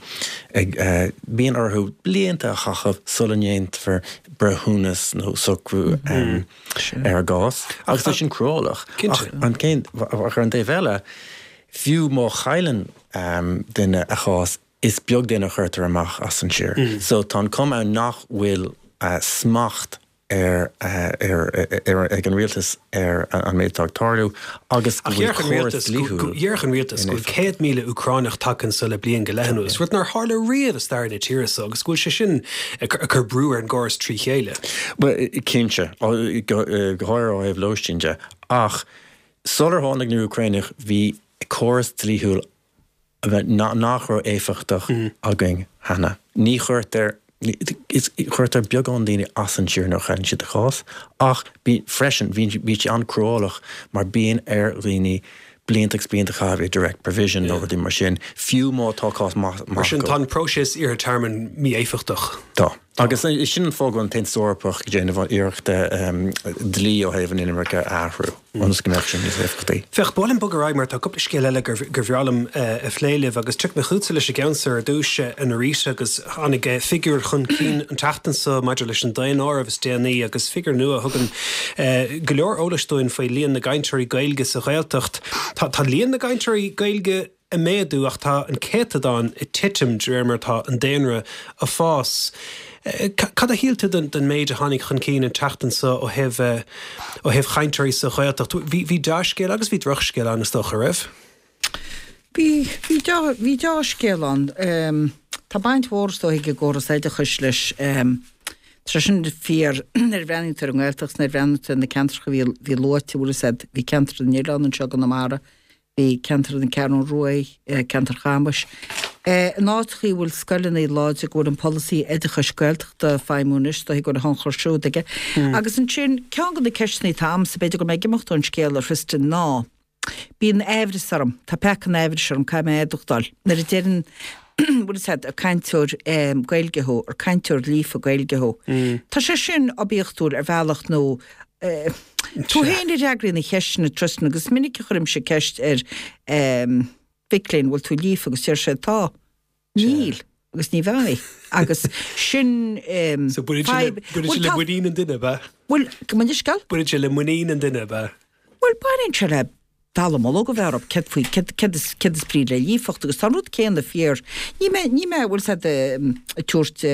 D: ag bíonn orthu blianta a chaitheamh sula ndéanfar breithiúnas nó socrú ar a gcás. Agus tá sin cruálach. Ach an cén ach ar an dtaobh eile, fiú má chailleann duine a chás, is beag duine a chuirtear amach as an tír. So tá an cuma ann nach bhfuil smacht ar ar ar ag an rialtas ar an méid atá ag tarlú agus go bhfuil córas dlíthiúil.
A: Déarfadh an rialtas go bhfuil céad míle Úcránach tagtha anso le bliain go leith anuas, rud nár tharla riamh i stair na tíre so agus go bhfuil sé sin ag cur brú ar an gcóras trí chéile.
D: Bhuel, cinnte, go háirithe ó thaobh lóistín de, ach sular tháinig na hÚcránaigh bhí córas dlíthiúil nach raibh éifeachtach againn cheana. Ní chuirtear chuirtear beagán daoine as an tír nuair a chailleann siad a chás, ach bí freisin bhíonn bíonn sé an-cruálach mar bíonn ar dhaoine blianta agus blianta a chaitheamh i direct provision nó rudaí mar sin, fiú má tá cás maith
A: Mar sin tá an próiseas iarrtha tearmainn mí-éifeachtach.
D: Tá. Agus sin an fáth go bhfuil an tAontas Eorpach ag déanamh iarrachta dlí ó thaobh an inimirce a athrú ionas go mbeadh sé níos éifeachtaí.
A: Féach, ba mhaith liom bogadh ar aghaidh mar tá cúpla scéal eile gur bhreá liom a phlé libh agus tiocfaidh mé chugatsa leis an gceann seo ar dtús, a Norita, agus tháinig figiúr chun cinn an tseachtain seo maidir leis an daonáireamh is déanaí agus figiúr nua a thugann go leor eolais dúinn faoi líon na gcainteoirí Gaeilge sa Ghaeltacht. Tá líon na gcainteoirí Gaeilge ag méadú ach tá an céatadán ag titim de réir mar atá an daonra ag fás. Cad a shíl tú den den méid a tháinig chun cinn an tseachtain seo ó thaobh ó thaobh chainteoirí sa Ghaeltacht? Bhí bhí dea-scéal agus bhí drochscéal ann is dócha, raibh?
E: Bhí bhí dea bhí dea-scéal ann. Tá baint mhór is dóigh ag an gcóras oideachais leis. Tá sé sin fíor nuair a bhreathnaíonn tú ar an nGaeltacht, nuair a bhreathnaíonn tú ar na ceantracha a bhí bhí luaite, bhfuil fhios a'd, bhí ceantar na nOileán anseo i gConamara, bhí ceantar na Ceathrún Rua, ceantar Chamais. In áiteachaí a bhfuil scoileanna láidre, go bhfuil an polasaí oideachais Gaeltachta ag feidhmiú anois, is dóigh go bhfuil a thionchar siúd aige. Agus ansin, ceann de na ceisteanna atá a'msa, b'fhéidir go bhfuil mé ag imeacht ón scéal, a Thristan, ná, bíonn aimhreas orm, tá peaca an aimhris orm, caithfidh mé é a admháil, nuair a deireann, bhfuil fhios a'd, ar cainteoir Gaeilge thú, ar cainteoir líofa Gaeilge thú. Tá sé sin oibiachtúil ar bhealach nó tú féin a fhreagraíonn na ceisteanna, Tristan, agus is minic a chuirimse ceist ar mhic léinn, bhfuil tú líofa agus deir siad tá. Níl. Agus ní bheidh. Agus sin
A: So baineann sé le, baineann sé le muinín an duine, ab ea?
E: Bhuel, gabh mo leithscéal?
A: Baineann sé le muinín an duine, ab ea?
E: Bhuel, baineann sé le dallamullóg a bheith orthu, céard faoi, céard, céard is, céard is brí le líofacht agus tá an rud céanna fíor. Ní mé, ní mé, bhfuil fhios a'd, ag tabhairt,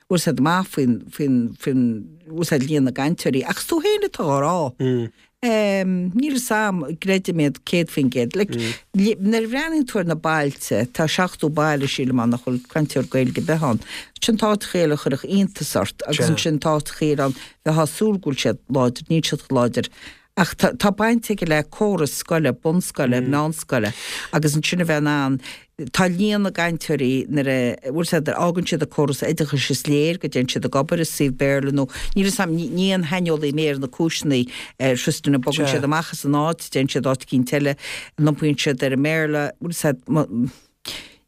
E: bhfuil fhios a'd amach faoin, faoin, faoin, bhfuil fhios a'd líon na gcainteoirí, ach is tú féin atá á rá. Níl fhios a'm, gcreidim iad céad faoin gcéad. Like, nuair a bhreathnaíonn tú ar na bailte, tá seachtó baile, sílim, ann nach bhfuil cainteoir Gaeilge ar bith ann. Sin tá áiteachaí eile a chuirfeadh iontas ort agus ansin tá áiteachaí eile ann, bheifeá ag súil go bhfuil siad láidir, níl siad chomh láidir. Ach tá baint aige le córas scoile, bunscoile, meánscoile agus ansin a bheith in ann, tá líon na gcainteoirí nuair a, bhfuil fhios a'd, fhágann siad an córas oideachais is léir go dtéann siad ag obair i suíomh Béarla nó níl fhios a'm, ní aon shaineolaí mé ar na cúiseanna ar Tristan a bogann siad amach as an áit, téann siad áit eicínt eile, an iompaíonn siad ar an mBéarla, bhfuil fhios a'd,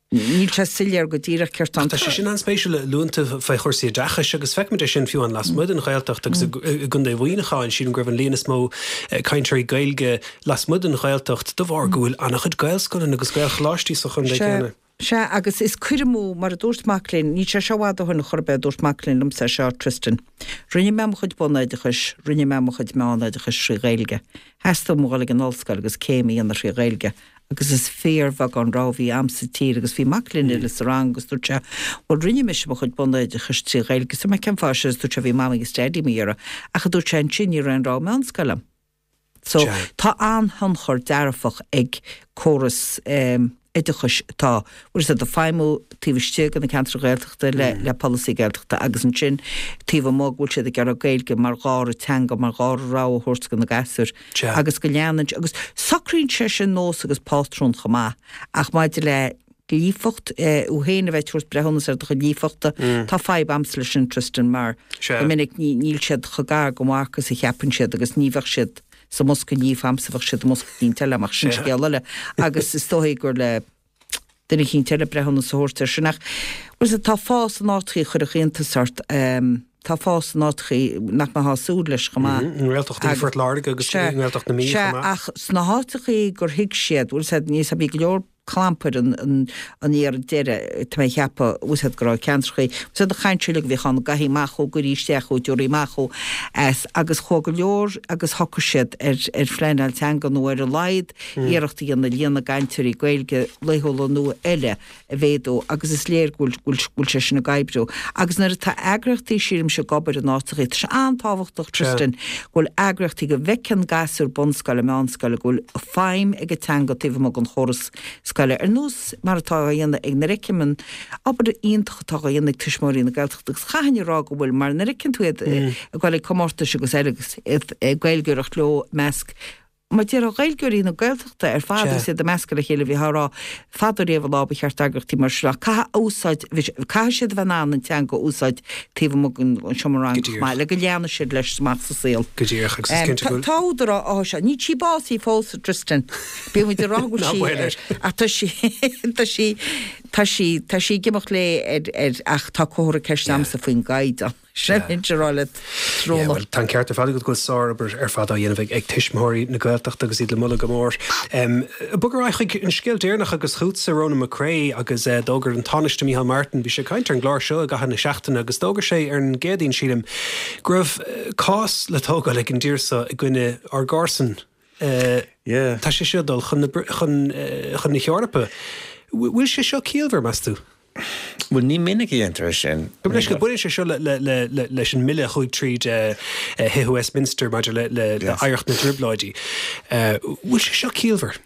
E: Níl sé soiléir go díreach céard
A: tá. Tá sé sin an-spéisiúil a luann tú faoi chúrsaí oideachais agus feicimid é sin fiú amháin lasmuigh den Ghaeltacht agus i gContae Mhuineacháin, sílim go raibh an líon is mó cainteoirí Gaeilge lasmuigh den Ghaeltacht de bharr go bhfuil an-chuid Gaelscoileanna agus Gaelcholáistí sa chontae céanna.
E: Sea, agus is cur amú, mar a dúirt mac léinn, níl sé seo i bhfad ó shin chor ar bith a dúirt mac léinn liomsa é seo, Tristan. Rinne mé mo chuid bunoideachais, rinne mé mo chuid meánoideachais trí Ghaeilge. Theastaigh uaim a dhul ag an ollscoil agus céim a dhéanamh trí Ghaeilge agus is fíorbheagán rogha a bhí a'm sa tír agus bhí mac léinn eile sa rang agus dúirt sé, bhuel rinne mise mo chuid bunoideachais trí Ghaeilge, so mé cén fáth sin agus dúirt sé bhí mamaí agus daidí mo iarraidh ach a dúirt sé ansin ní raibh aon rogha meánscoile a'm. So, tá an-thionchar dearfach ag córas oideachais atá, bhfuil fhios agat, ag feidhmiú taobh istigh de na ceantair Ghaeltachta le le polasaí Gaeltachta agus ansin taobh amuigh go bhfuil siad ag iarraidh Gaeilge mar dhara teanga, mar dhara rogha a thabhairt do na gasúir agus go leanann agus socraíonn sé sin nós agus pátrún chomh maith ach maidir le líofacht, thú féin a bheith ag tabhairt breithiúnas ar do chuid líofachta. Tá fadhb a'msa leis sin, Tristan, mar go minic níl siad chomh gar don mharc is a cheapann siad agus ní bheadh siad sa mbosca líofa a'msa, bheadh siad i mbosca eicínt eile, ach sin scéal eile. Agus is dóigh gur le duine eicínt eile breithiúnas a thabhairt air sin. Ach, bhfuil fhios agat, tá fás in áiteachaí a chuirfeadh iontas ort. Tá fás in áiteachaí nach mbeifeá ag súil leis chomh maith.
A: I nGaeltacht Phort Láirge agus i nGaeltacht na Mí chomh maith.
E: Sea, ach sna háiteachaí gur thuig siad, bhfuil fhios agat, níos, bhí go leor clampair an iarraidh deiridh, tá mé ag ceapadh, bhfuil fhios agat, go raibh ceantrachaí, bhfuil fhios agat, an chaint uilig a bhíodh ann, gabhaigí amach ó, gcuirí isteach ó, tabhraigí amach ó, as, agus chuaigh go leor agus shocraigh siad ar ar phleanáil teanga nó ar a laghad iarracht a dhéanamh líon na gcainteoirí Gaeilge laethúla nó eile a mhéadú agus is léir go bhfuil go bhfuil sé sin ag oibriú. Agus nuair atá eagraíochtaí, sílimse, ag obair in áiteachaí, tá sé an-tábhachtach, Tristan, go bhfuil eagraíochtaí, go bhfeiceann gasúir bunscoile, meánscoile, go bhfuil feidhm ag an teanga taobh amuigh den chóras scoile, ar nós mar atá á dhéanamh ag, nuair a fheicim an obair iontach atá á dhéanamh ag Tuismitheoirí na Gaeltachta agus chaithfinn a rá go bhfuil, mar nuair a fheiceann tú iad ag dul ag comórtais agus eile agus iad ag Gaeilgeoireacht leo i measc mar déarfá Gaeilgeoirí na Gaeltachta ar fad agus iad ag meascadh le chéile, bhítheá ag rá fadó riamh an lá ba cheart eagraíochtaí mar seo caithfidh úsáid, caithfidh siad a bheith in ann an teanga a úsáid taobh amuigh den seomra ranga chomh maith le go leanfaidh siad leis amach sa saol.
A: Go díreach agus is cinnte go bhfuil.
E: Tá údar áthais ann. Níl sí básaithe fós, a Tristan. Bíonn muid ag rá go bhfuil sí ar, ach tá sí, tá sí, tá sí, tá sí ag imeacht léi ar, ar, ach tá comhartha ceiste a'msa faoin gcaighdeán. Sin a bheinnse a rá leat,
A: Yeah, bhuel, tá an ceart ar fad agat go bhfuil sárobair ar fad á dhéanamh ag, ag Tuismitheoirí na Gaeltachta agus iad le moladh go mór. Um, bog ar aghaidh chuig an scéal deireanach agus chugatsa, Ronan McCrea, agus uh, d'fhógair an Tánaiste Micheál Martin, bhí sé ag caint ar an gclár seo i gcaitheamh na seachtaine agus d'fhógair sé ar an gCéadaoin, sílim, go raibh uh, cás le tógáil ag an dtír seo i gcoinne ár gcomharsan. Uh,
D: Yeah.
A: Tá sé seo ag dul chun na, chun, uh, chun na hEorpa. Bhfuil sé seo ciallmhar, meas tú?
D: Bhuel, ní minic a dhéantar é sin.
A: Go leis go baineann sé seo leis an mbille a chuaigh tríd Thithe Westminster maidir le hoidhreacht na dTrioblóidí. Bhfuil sé seo ciallmhar?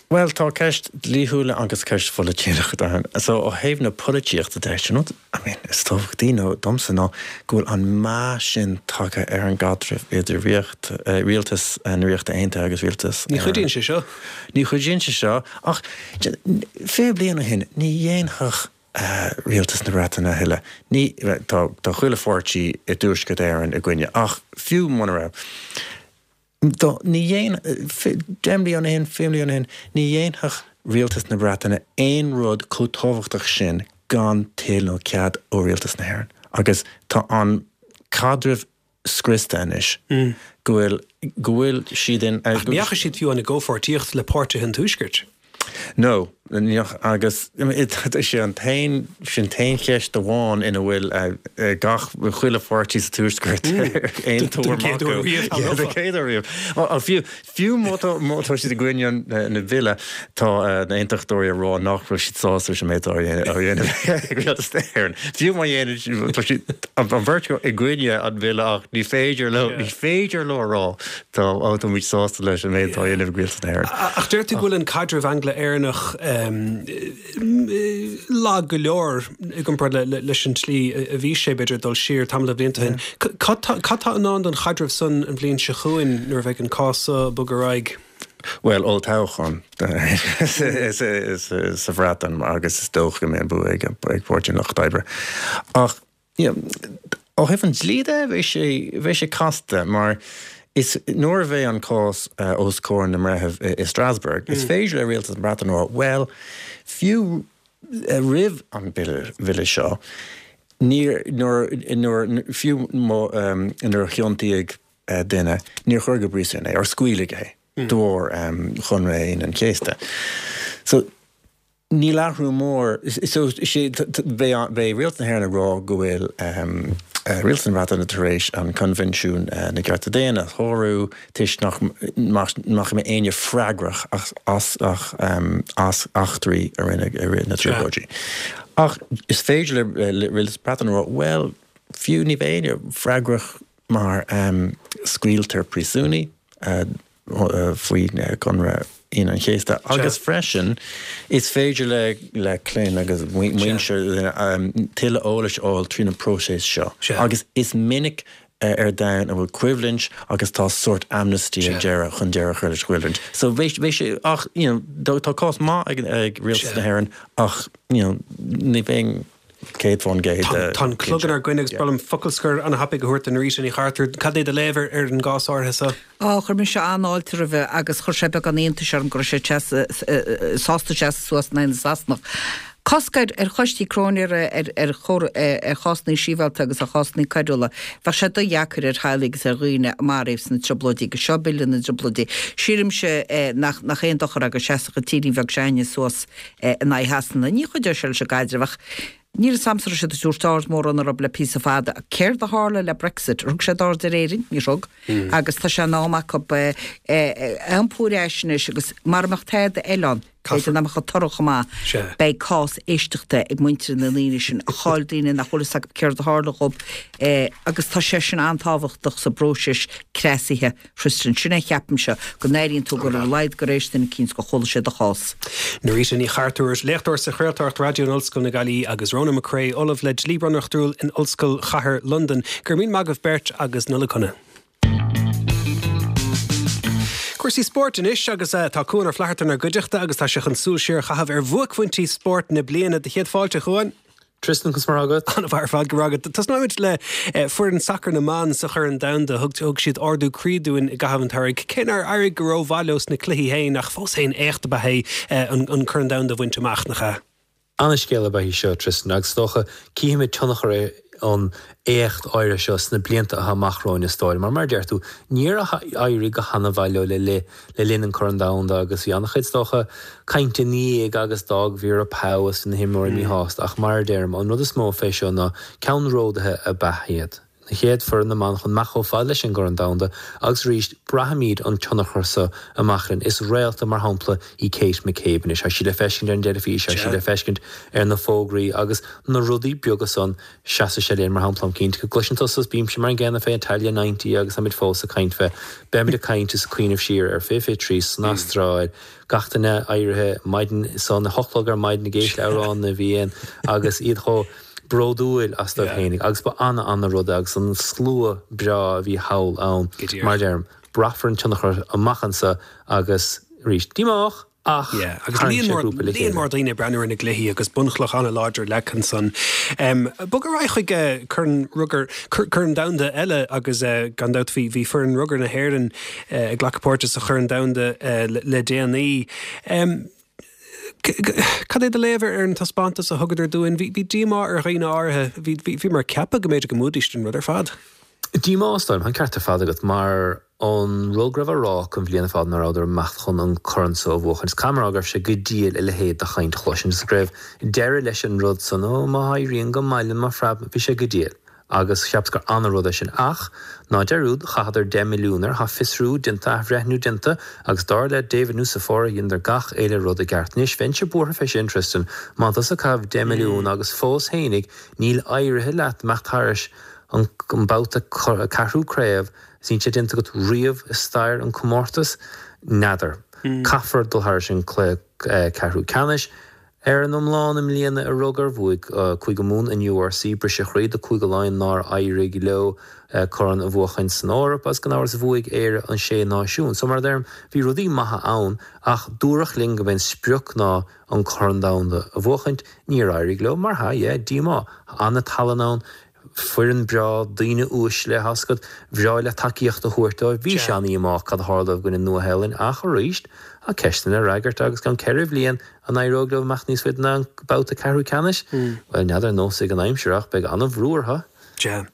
D: Bhuel, tá ceist dlíthiúil agus ceist pholaitíochta ann. So, ó thaobh na polaitíochta de, sin rud, I mean, is tábhachtaí nó domsa ná go bhfuil an meath sin tagtha ar an gcaidreamh idir ríocht, rialtas na Ríochta Aontaithe agus rialtas
A: Ní chuidíonn sé seo.
D: Ní chuidíonn sé seo, ach fiche bliain ó shin, ní dhéanfadh rialtas na Breataine a thuilleadh. Ní, tá, tá chuile pháirtí i dTuaisceart Éireann i gcoinne, ach fiú muna raibh, dá, ní dhéan, deich mbliana ó shin, fiche bliain ó shin, ní dhéanfadh rialtas na Breataine aon rud chomh tábhachtach sin gan toil nó cead ó rialtas na hÉireann. Agus tá an caidreamh scriosta anois, go bhfuil, go bhfuil siad in.
A: Ach ní dheachaigh siad fiú amháin i gcomhpháirtíocht le páirtithe an Tuaiscirt.
D: No, ní dheachaigh, agus is é an t-aon, sin t-aon cheist amháin ina bhfuil gach, chuile pháirtí sa Tuaisceart ar aon tuairim acu.
A: Den chéad uair riamh,
D: Yeah, den chéad uair riamh. Fiú, fiú má tá, má tá siad i gcoinne an, na bille, tá na hAontachtóirí ag rá nach bhfuil siad sásta leis an méid atá á dhéanamh ag Rialtas na hÉireann. Fiú má dhéanann siad, tá siad, an bheirt acu i gcoinne an bhille ach ní féidir leo, ní féidir leo a rá tá, ó, tá muid sásta leis an méid atá á dhéanamh ag Rialtas na hÉireann.
A: Ach deir tú go bhfuil an caidreamh Angla-Éireannach lag go leor i gcomparáid leis an tslí a bhí sé, b'fhéidir, dul siar tamall de bhlianta ó shin. Cad tá i ndán don chaidreamh san an bhliain seo chugainn nuair a bheidh an cás seo ag bogadh ar aghaidh?
D: Bhuel, olltoghchán sa Bhreatain agus is dócha go mbeidh an bua ag Páirtí an Lucht Oibre. Ach ó thaobh an dlí de, bheidh sé, bheidh sé casta mar is nuair a bheidh an cás os comhair na mbreitheamh i Strasbourg, is féidir le Rialtas na Breataine a rá, bhuel, fiú roimh an bhille seo, níor, nuair, nuair, fiú nuair a chiontaíodh duine, níor cuireadh go príosún é, or scaoileadh é de bharr Chonradh Aoine an Chéasta. So, Níl athrú mór, so beidh Rialtas na hÉireann ag rá go bhfuil Rialtas na Breataine tar éis an Coinbhinsiún na gCearta Daonna a shárú toisc nach mbeidh éinne freagrach as as eachtraí a rinneadh i rith na dTrioblóidí. Ach is féidir le Rialtas na Breataine a rá, bhuel, fiú ní bheidh éinne freagrach mar scaoiltear príosúnaigh, faoi Chonradh Aoine an Chéasta agus freisin is féidir le le clainn agus muintir tuilleadh eolais a fháil tríd an próiseas seo agus is minic ar domhan a bhfuil coimhlint agus tá sórt amnesty ag deireadh chun deireadh a chur leis an gcoimhlint. So bheidh sé ach you know tá cás maith ag rialtas na hÉireann ach you know ní bheidh céad faoin gcéad.
A: Tá an clog inár gcoinne agus ba bhreá liom focal scoir an-thapaidh a thabhairt do Norita Ní Chartúir. Cad é do léamh ar an gcás áirithe seo?
E: Á, chuir mise an-fháilte roimhe agus chuir sé beagán iontais orm go raibh sé sásta seasamh suas in aghaidh na Sasanach. Cosc ar choistí cróinéara ar ar chásanna sibhialta agus ar chásanna coiriúla. Bheadh sé dodheacair ar theaghlaigh agus ar dhaoine a maraíodh sna Trioblóidí agus seo Bille na dTrioblóidí. Sílimse nach aon dochar é go seasfadh an tírín bheag s'againne suas in aghaidh Shasana. Ní chuideoidh sé leis an gcaidreamh ach Níl a fhios a'msa raibh siad ag tabhairt aird mórán orthu le píosa fada. Céard a tharla le Brexit? Ar thug siad aird ar Éirinn? Níor thug. Agus tá sé in am acu iompú ar ais anois agus mara mbeadh tada eile ann, b'fhéidir nach mbeadh an toradh chomh maith, beidh cás éisteachta ag muintir na ndaoine sin a chaill daoine nach bhfuil fhios acu céard a tharla dhób agus tá sé sin an-tábhachtach sa bpróiseas cneasaithe. Tristan, Sin é a cheapaimse, go n-airíonn tú gur ar a laghad gur éist duine eicínt, gur chuala sé do chás.
A: Norita Ní Chartúir, léachtóir sa chraoltóireacht raidió in Ollscoil na Gaillimhe agus Ronan McCrea, Ollamh le Dlí Bunreachtúil in Ollscoil Chathair Londan. Go raibh míle maith agaibh beirt agus Nollaig Shona. Cúrsaí spóirt anois agus tá Cuan Ó Flatharta inár gcuideachta agus tá sé chun súil siar a chaitheamh ar bhuaicphointí spóirt na bliana. Do chéad fáilte, a Chuain.
F: Tristan, conas mar atá agat?
A: An-mhaith ar fad, go raibh agat. Tosnóimid le foireann sacair na mban sa Chorn Domhanda. Thug thug siad ardú croí dúinn i gcaitheamh an tsamhraidh, cé nár éirigh go rómhaith leo sna cluichí féin, ach fós féin éacht ab ea é an an Corn Domhanda a bhaint amach, nach ea?
F: Ana-scéal ab ea í seo, Tristan, agus is dócha cífimid tionchar an éacht áirithe seo sna blianta atá amach romhainn is dóigh liom. Mar mar a deir tú, níor éirigh go hana-mhaith leo le le linn an Corn Domhanda agus bhí an-chuid is dócha cainte ina dhiaidh agus d'fhág Vera Pauw agus na himreoirí míshásta ach mar a deirim, an rud is mó fé seo ná ceannródaithe ab ea iad. Na chéad foireann na mban chun imeacht chomh fada leis an gCorn Domhanda agus arís braithfimid an tionchar so amach linn. Is réalta mar shampla í Kate McCabe anois. Tá sí le feiscint ar an dteilifís, tá sí le feiscint ar na fógraí agus na rudaí beaga san seasfaidh sé linn mar shampla. Táim cinnte go gcloiseann tusa is bímse mar an gcéanna fé Italia ninety agus táimid fós ag caint fé. Beimid ag caint is ag cuimhneamh siar ar fiche fiche trí san Astráil, gach duine éirithe maidin san, a hocht a chlog ar maidin ag éisteacht le Amhrán na bhFiann agus iad chomh bródúil astu féinig agus ba ana-ana rud é agus an slua breá a bhí thall ann, mar a deirim, braithfear an tionchar amach anso agus arís, díomách ach
A: Yeah, agus
F: tharraing
A: líon
F: sé
A: mór,
F: grúpa le
A: líon
F: chéile.
A: mór daoine ag breathnú ar na gcluichí agus bunchloch an-láidir leagtha ansan. Um, bog ar aghaidh chuig eh, Corn Rugair, Cor- Corn Domhanda eile agus eh, gan dabht bhí, bhí foireann rugair na hÉireann eh, ag glacadh páirte sa Chorn Domhanda eh, le, le déanaí. Um, Cad é do léamh ar an taispeántas a thugadar dúinn? Bhí díomá ar dhaoine áirithe. Bhí bhí mar ceapadh go mb'fhéidir go mbuafaidís an rud ar fad.
F: Díomá is dóigh liom, tá an ceart ar fad agat, mar an rud go raibh á rá acu an bhliain ar fad ná rabhadar ag imeacht chun an corn so a bhuachan. Is caithfidh mé a rá go raibh sé go diail a leithéid de chaint a chloisint is go raibh deireadh leis an rud san, ó má éiríonn go maith linn má phreab, bhí sé go diail. Agus cheapas gur ana-rud é sin. Ach, ná dearúd, chaitheadar deich milliún air, tá fiosrú déanta, athbhreithniú déanta, agus dar le David Nucifora, dheineadar gach uile rud i gceart. Anois, bheinnse buartha fé sin, Tristan, má tá tusa ag caitheamh deich milliún agus fós fhéinig níl éirithe leat imeacht thairis an babhta ceathrú craobh is níl sé déanta agat riamh i stair an comórtas, n'fheadar. Caithfear dul thairis an cluiche ceathrú ceannais. Ar an iomlán i mbliana i rugar, bhuaigh Cúige Mumhan an URC, briseadh croí do Cúige Laighean nár éirigh leo corn a bhuachaint san Eoraip agus gan amhras bhuaigh Éire an Sé Náisiún. So mar a deirim, bhí rudaí maithe ann ach dúradh linn go mb'é an sprioc ná an Corn Domhanda a bhuachaint. Níor éirigh leo, mar hea, yeah, díomá. An-tallann ann. Foireann breá, daoine uaisle, tá a fhios agat, bhreá leat tacaíocht a thabhairt dóibh. Bhí sé an-dhíomách cad a tharla dóibh i gcoinne Nua-Shéalainn ach arís, tá ceisteanna le fhreagairt agus i gceann ceithre bhliain an éireoidh leo imeacht níos faide ná an babhta ceathrú ceannais? Bhuel, n'fheadar, nós ag an aimsir ach beidh an-bhrú orthu.
A: Sea.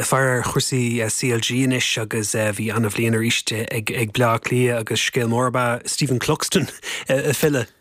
A: Faire ar chúrsaí CLG anois agus bhí an-bhliain arís ag Bleá Cliath agus scéal mór ab ea Stephen Cluxton ag filleadh.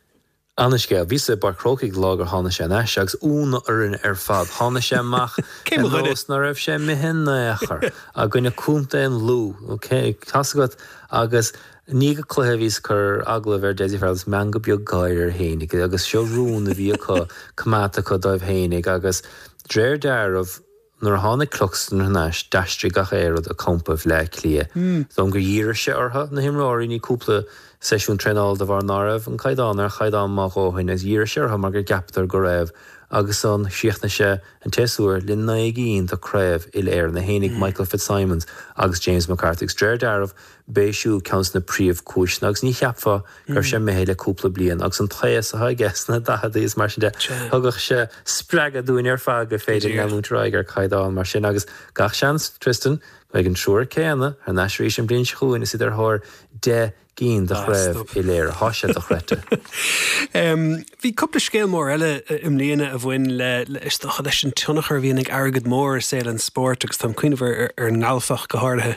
F: Ana-scéal. Bhíos i bPáirc Chrócaigh lá gur tháinig sé anois agus ionadh orainn ar fad. Tháinig sé amach ar nós ná raibh sé imithe in aon chor i gcoinne Contae an Lú. Ok, tá's agat agus i ndiaidh an cluiche bhíos ag cur agallamh ar Dessie Farrell agus meangadh beag gáire air fhéinig agus seo rún a bhí acu, coimeádta acu dóibh fhéinig agus d'réir dealraimh, Nuair a tháinig Cluxton thar n-ais, d'aistrigh gach aon rud a campa Bhleá Cliath. Is dóigh liom gur dhírigh sé orthu, na himreoirí, i ndiaidh cúpla seisiún traenála de bharr ná raibh an caighdeán ar chaighdeán maith a dhóthain agus dhírigh sé orthu mar gur gceapadar go raibh agus ansan chríochnaigh sé an tséasúr le naoi gcinn de craobh uile-Éireann, é fhéinig, Michael Fitzsimons agus James McCarthy agus d'réir dealraimh b'é siúd ceann de na príomhchúiseanna agus ní cheapfá go raibh sé imithe le cúpla bliain agus an taos atá aige sna daicheadaí is mar sin de, thugadh sé spreagadh dúinn ar fad gur féidir leanúint ar aghaidh ar chaighdeán mar sin agus gach seans, Tristan, go mbeidh an triúr céanna thar n-ais arís an bhliain seo chugainn is iad ar thóir deich gcinn de chraobh uile-Éireann. Tá sé dochreidte.
A: Bhí cúpla scéal mór eile i mbliana a bhain le, is dócha, leis an tionchar a bhíonn ag airgead mór i saol an spóirt agus táim ag cuimhneamh ar an ngalf ach go háirithe.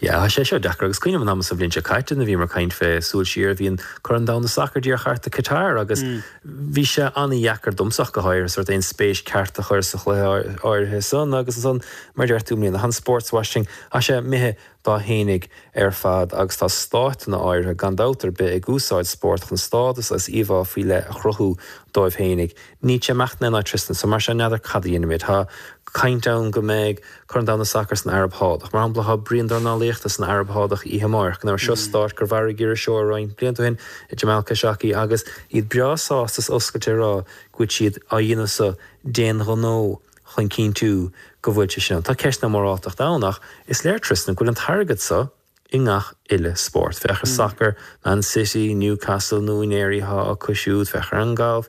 F: Yeah, tá sé seo deacair agus cuimhním an am sa bhliain seo caite nuair a bhíomar ag caint fé súil siar, bhí an Corn Domhanda Sacair díreach thart i Qatar agus bhí sé an-dheacair domsa ach go háirithe sórt aon spéis ceart a chur sa chluiche áirithe san agus ansan mar a deir tú i mbliana, tá an sportswashing, tá sé imithe dá fhéinig ar fad agus tá stáiteanna áirithe gan dabht ar bith ag úsáid spórt chun stádas agus íomhá faoi leith a chruthú dóibh fhéinig. Níl sé imeacht in aon áit Tristan, so mar sin n'fheadar cad a dhéanfaimid. Tá caint ann go mbeidh Corn Domhanda Sacair san Araib Shádach. Mar shampla, tá bruíon dornálaíochta san Araib Shádach oíche amárach. Now seo stát gur mharaigh iriseoir roinnt blianta ó shin, Jamal Khashoggi, agus iad breá sásta is oscailte ag rá go bhfuil siad á dhéanamh so d'aon ghnó chun cinntiú go bhfuil sé sin ann. Tá ceist na moráltachta ann ach is léir Tristan go bhfuil an t-airgead so i ngach uile spórt. Féach ar sacar, Man City, Newcastle, na húinéirí atá acu siúd, féach ar an galf,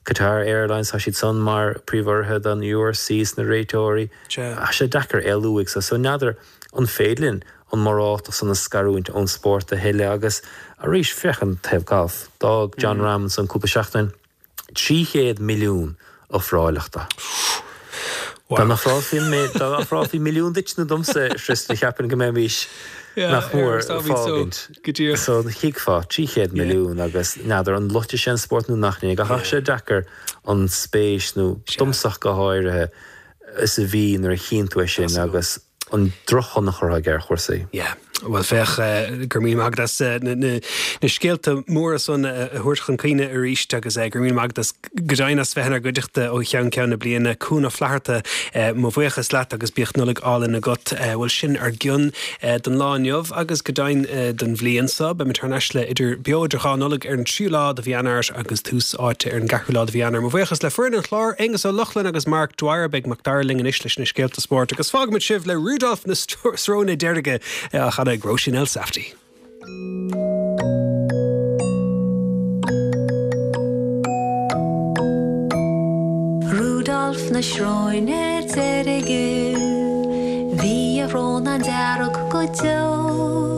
F: Qatar Airlines, tá siad san mar príomhurraithe don URC is na réiteoirí. Tá sé deacair éalú uaidh so. So n'fheadar an féidir linn an mhoráltacht san a scarúint ón spórt a thuilleadh agus arís féach an taobh galf. D'fhág Jon Rahm ansan cúpla seachtain trí chéad milliún ofráileach dó. Dá n-ofrálfaí an méid, dá n-ofrálfaí milliún duit nó domsa, Tristan, cheapfainn go mbeimis nach mór ag fágaint. So thuigfeá, trí chéad milliún agus n'fheadar an loitfidh sé an spórt nó nach ndéanfaidh, ach tá sé deacair an spéis nó domsa ach go háirithe is a bhí nuair a chíonn tú é sin agus an drochthionchar atá aige ar chúrsaí.
A: Yeah. Bhuel féach, go raibh míle maith agat as na scéalta móra san a thabhairt chun cuimhne arís agus go raibh míle maith agat as go deimhin as bheith inár gcuideachta ó cheann ceann na bliana. Cuan Ó Flatharta, mo bhuíochas leat agus bíodh Nollaig álainn agat. Bhuel sin ár gcion don lá inniu agus go deimhin don bhliain seo. Beimid thar n-ais le idir beo idir dhá Nollaig ar an tríú lá de mhí Eanáir agus tús áite ar an gceathrú lá de mhí Eanáir. Mo bhuíochas le foireann an chláir, Aonghus Ó Lochlainn agus Mark Dwyer. Beidh Mac Dara linn anois leis na scéalta spóirt agus fágfaimid sibh le Rudolf na Sróine Deirge á chanadh ag Róisín Elsafty.
G: Rudolf na Sróine Deirge, bhí a shrón an-dearg go deo,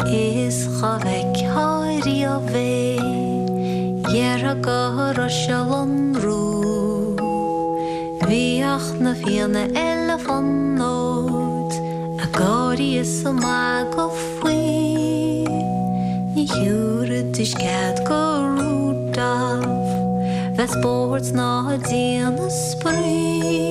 G: is dhá bhfeictheá riamh é, déarfá go raibh sé lonrúil. Bhíodh na Fianna eile fonóid ag gáirí is ag magadh faoi. Ní thiúrfaidís cead go Rudolf bheith spórt ná ag déanamh spraoi.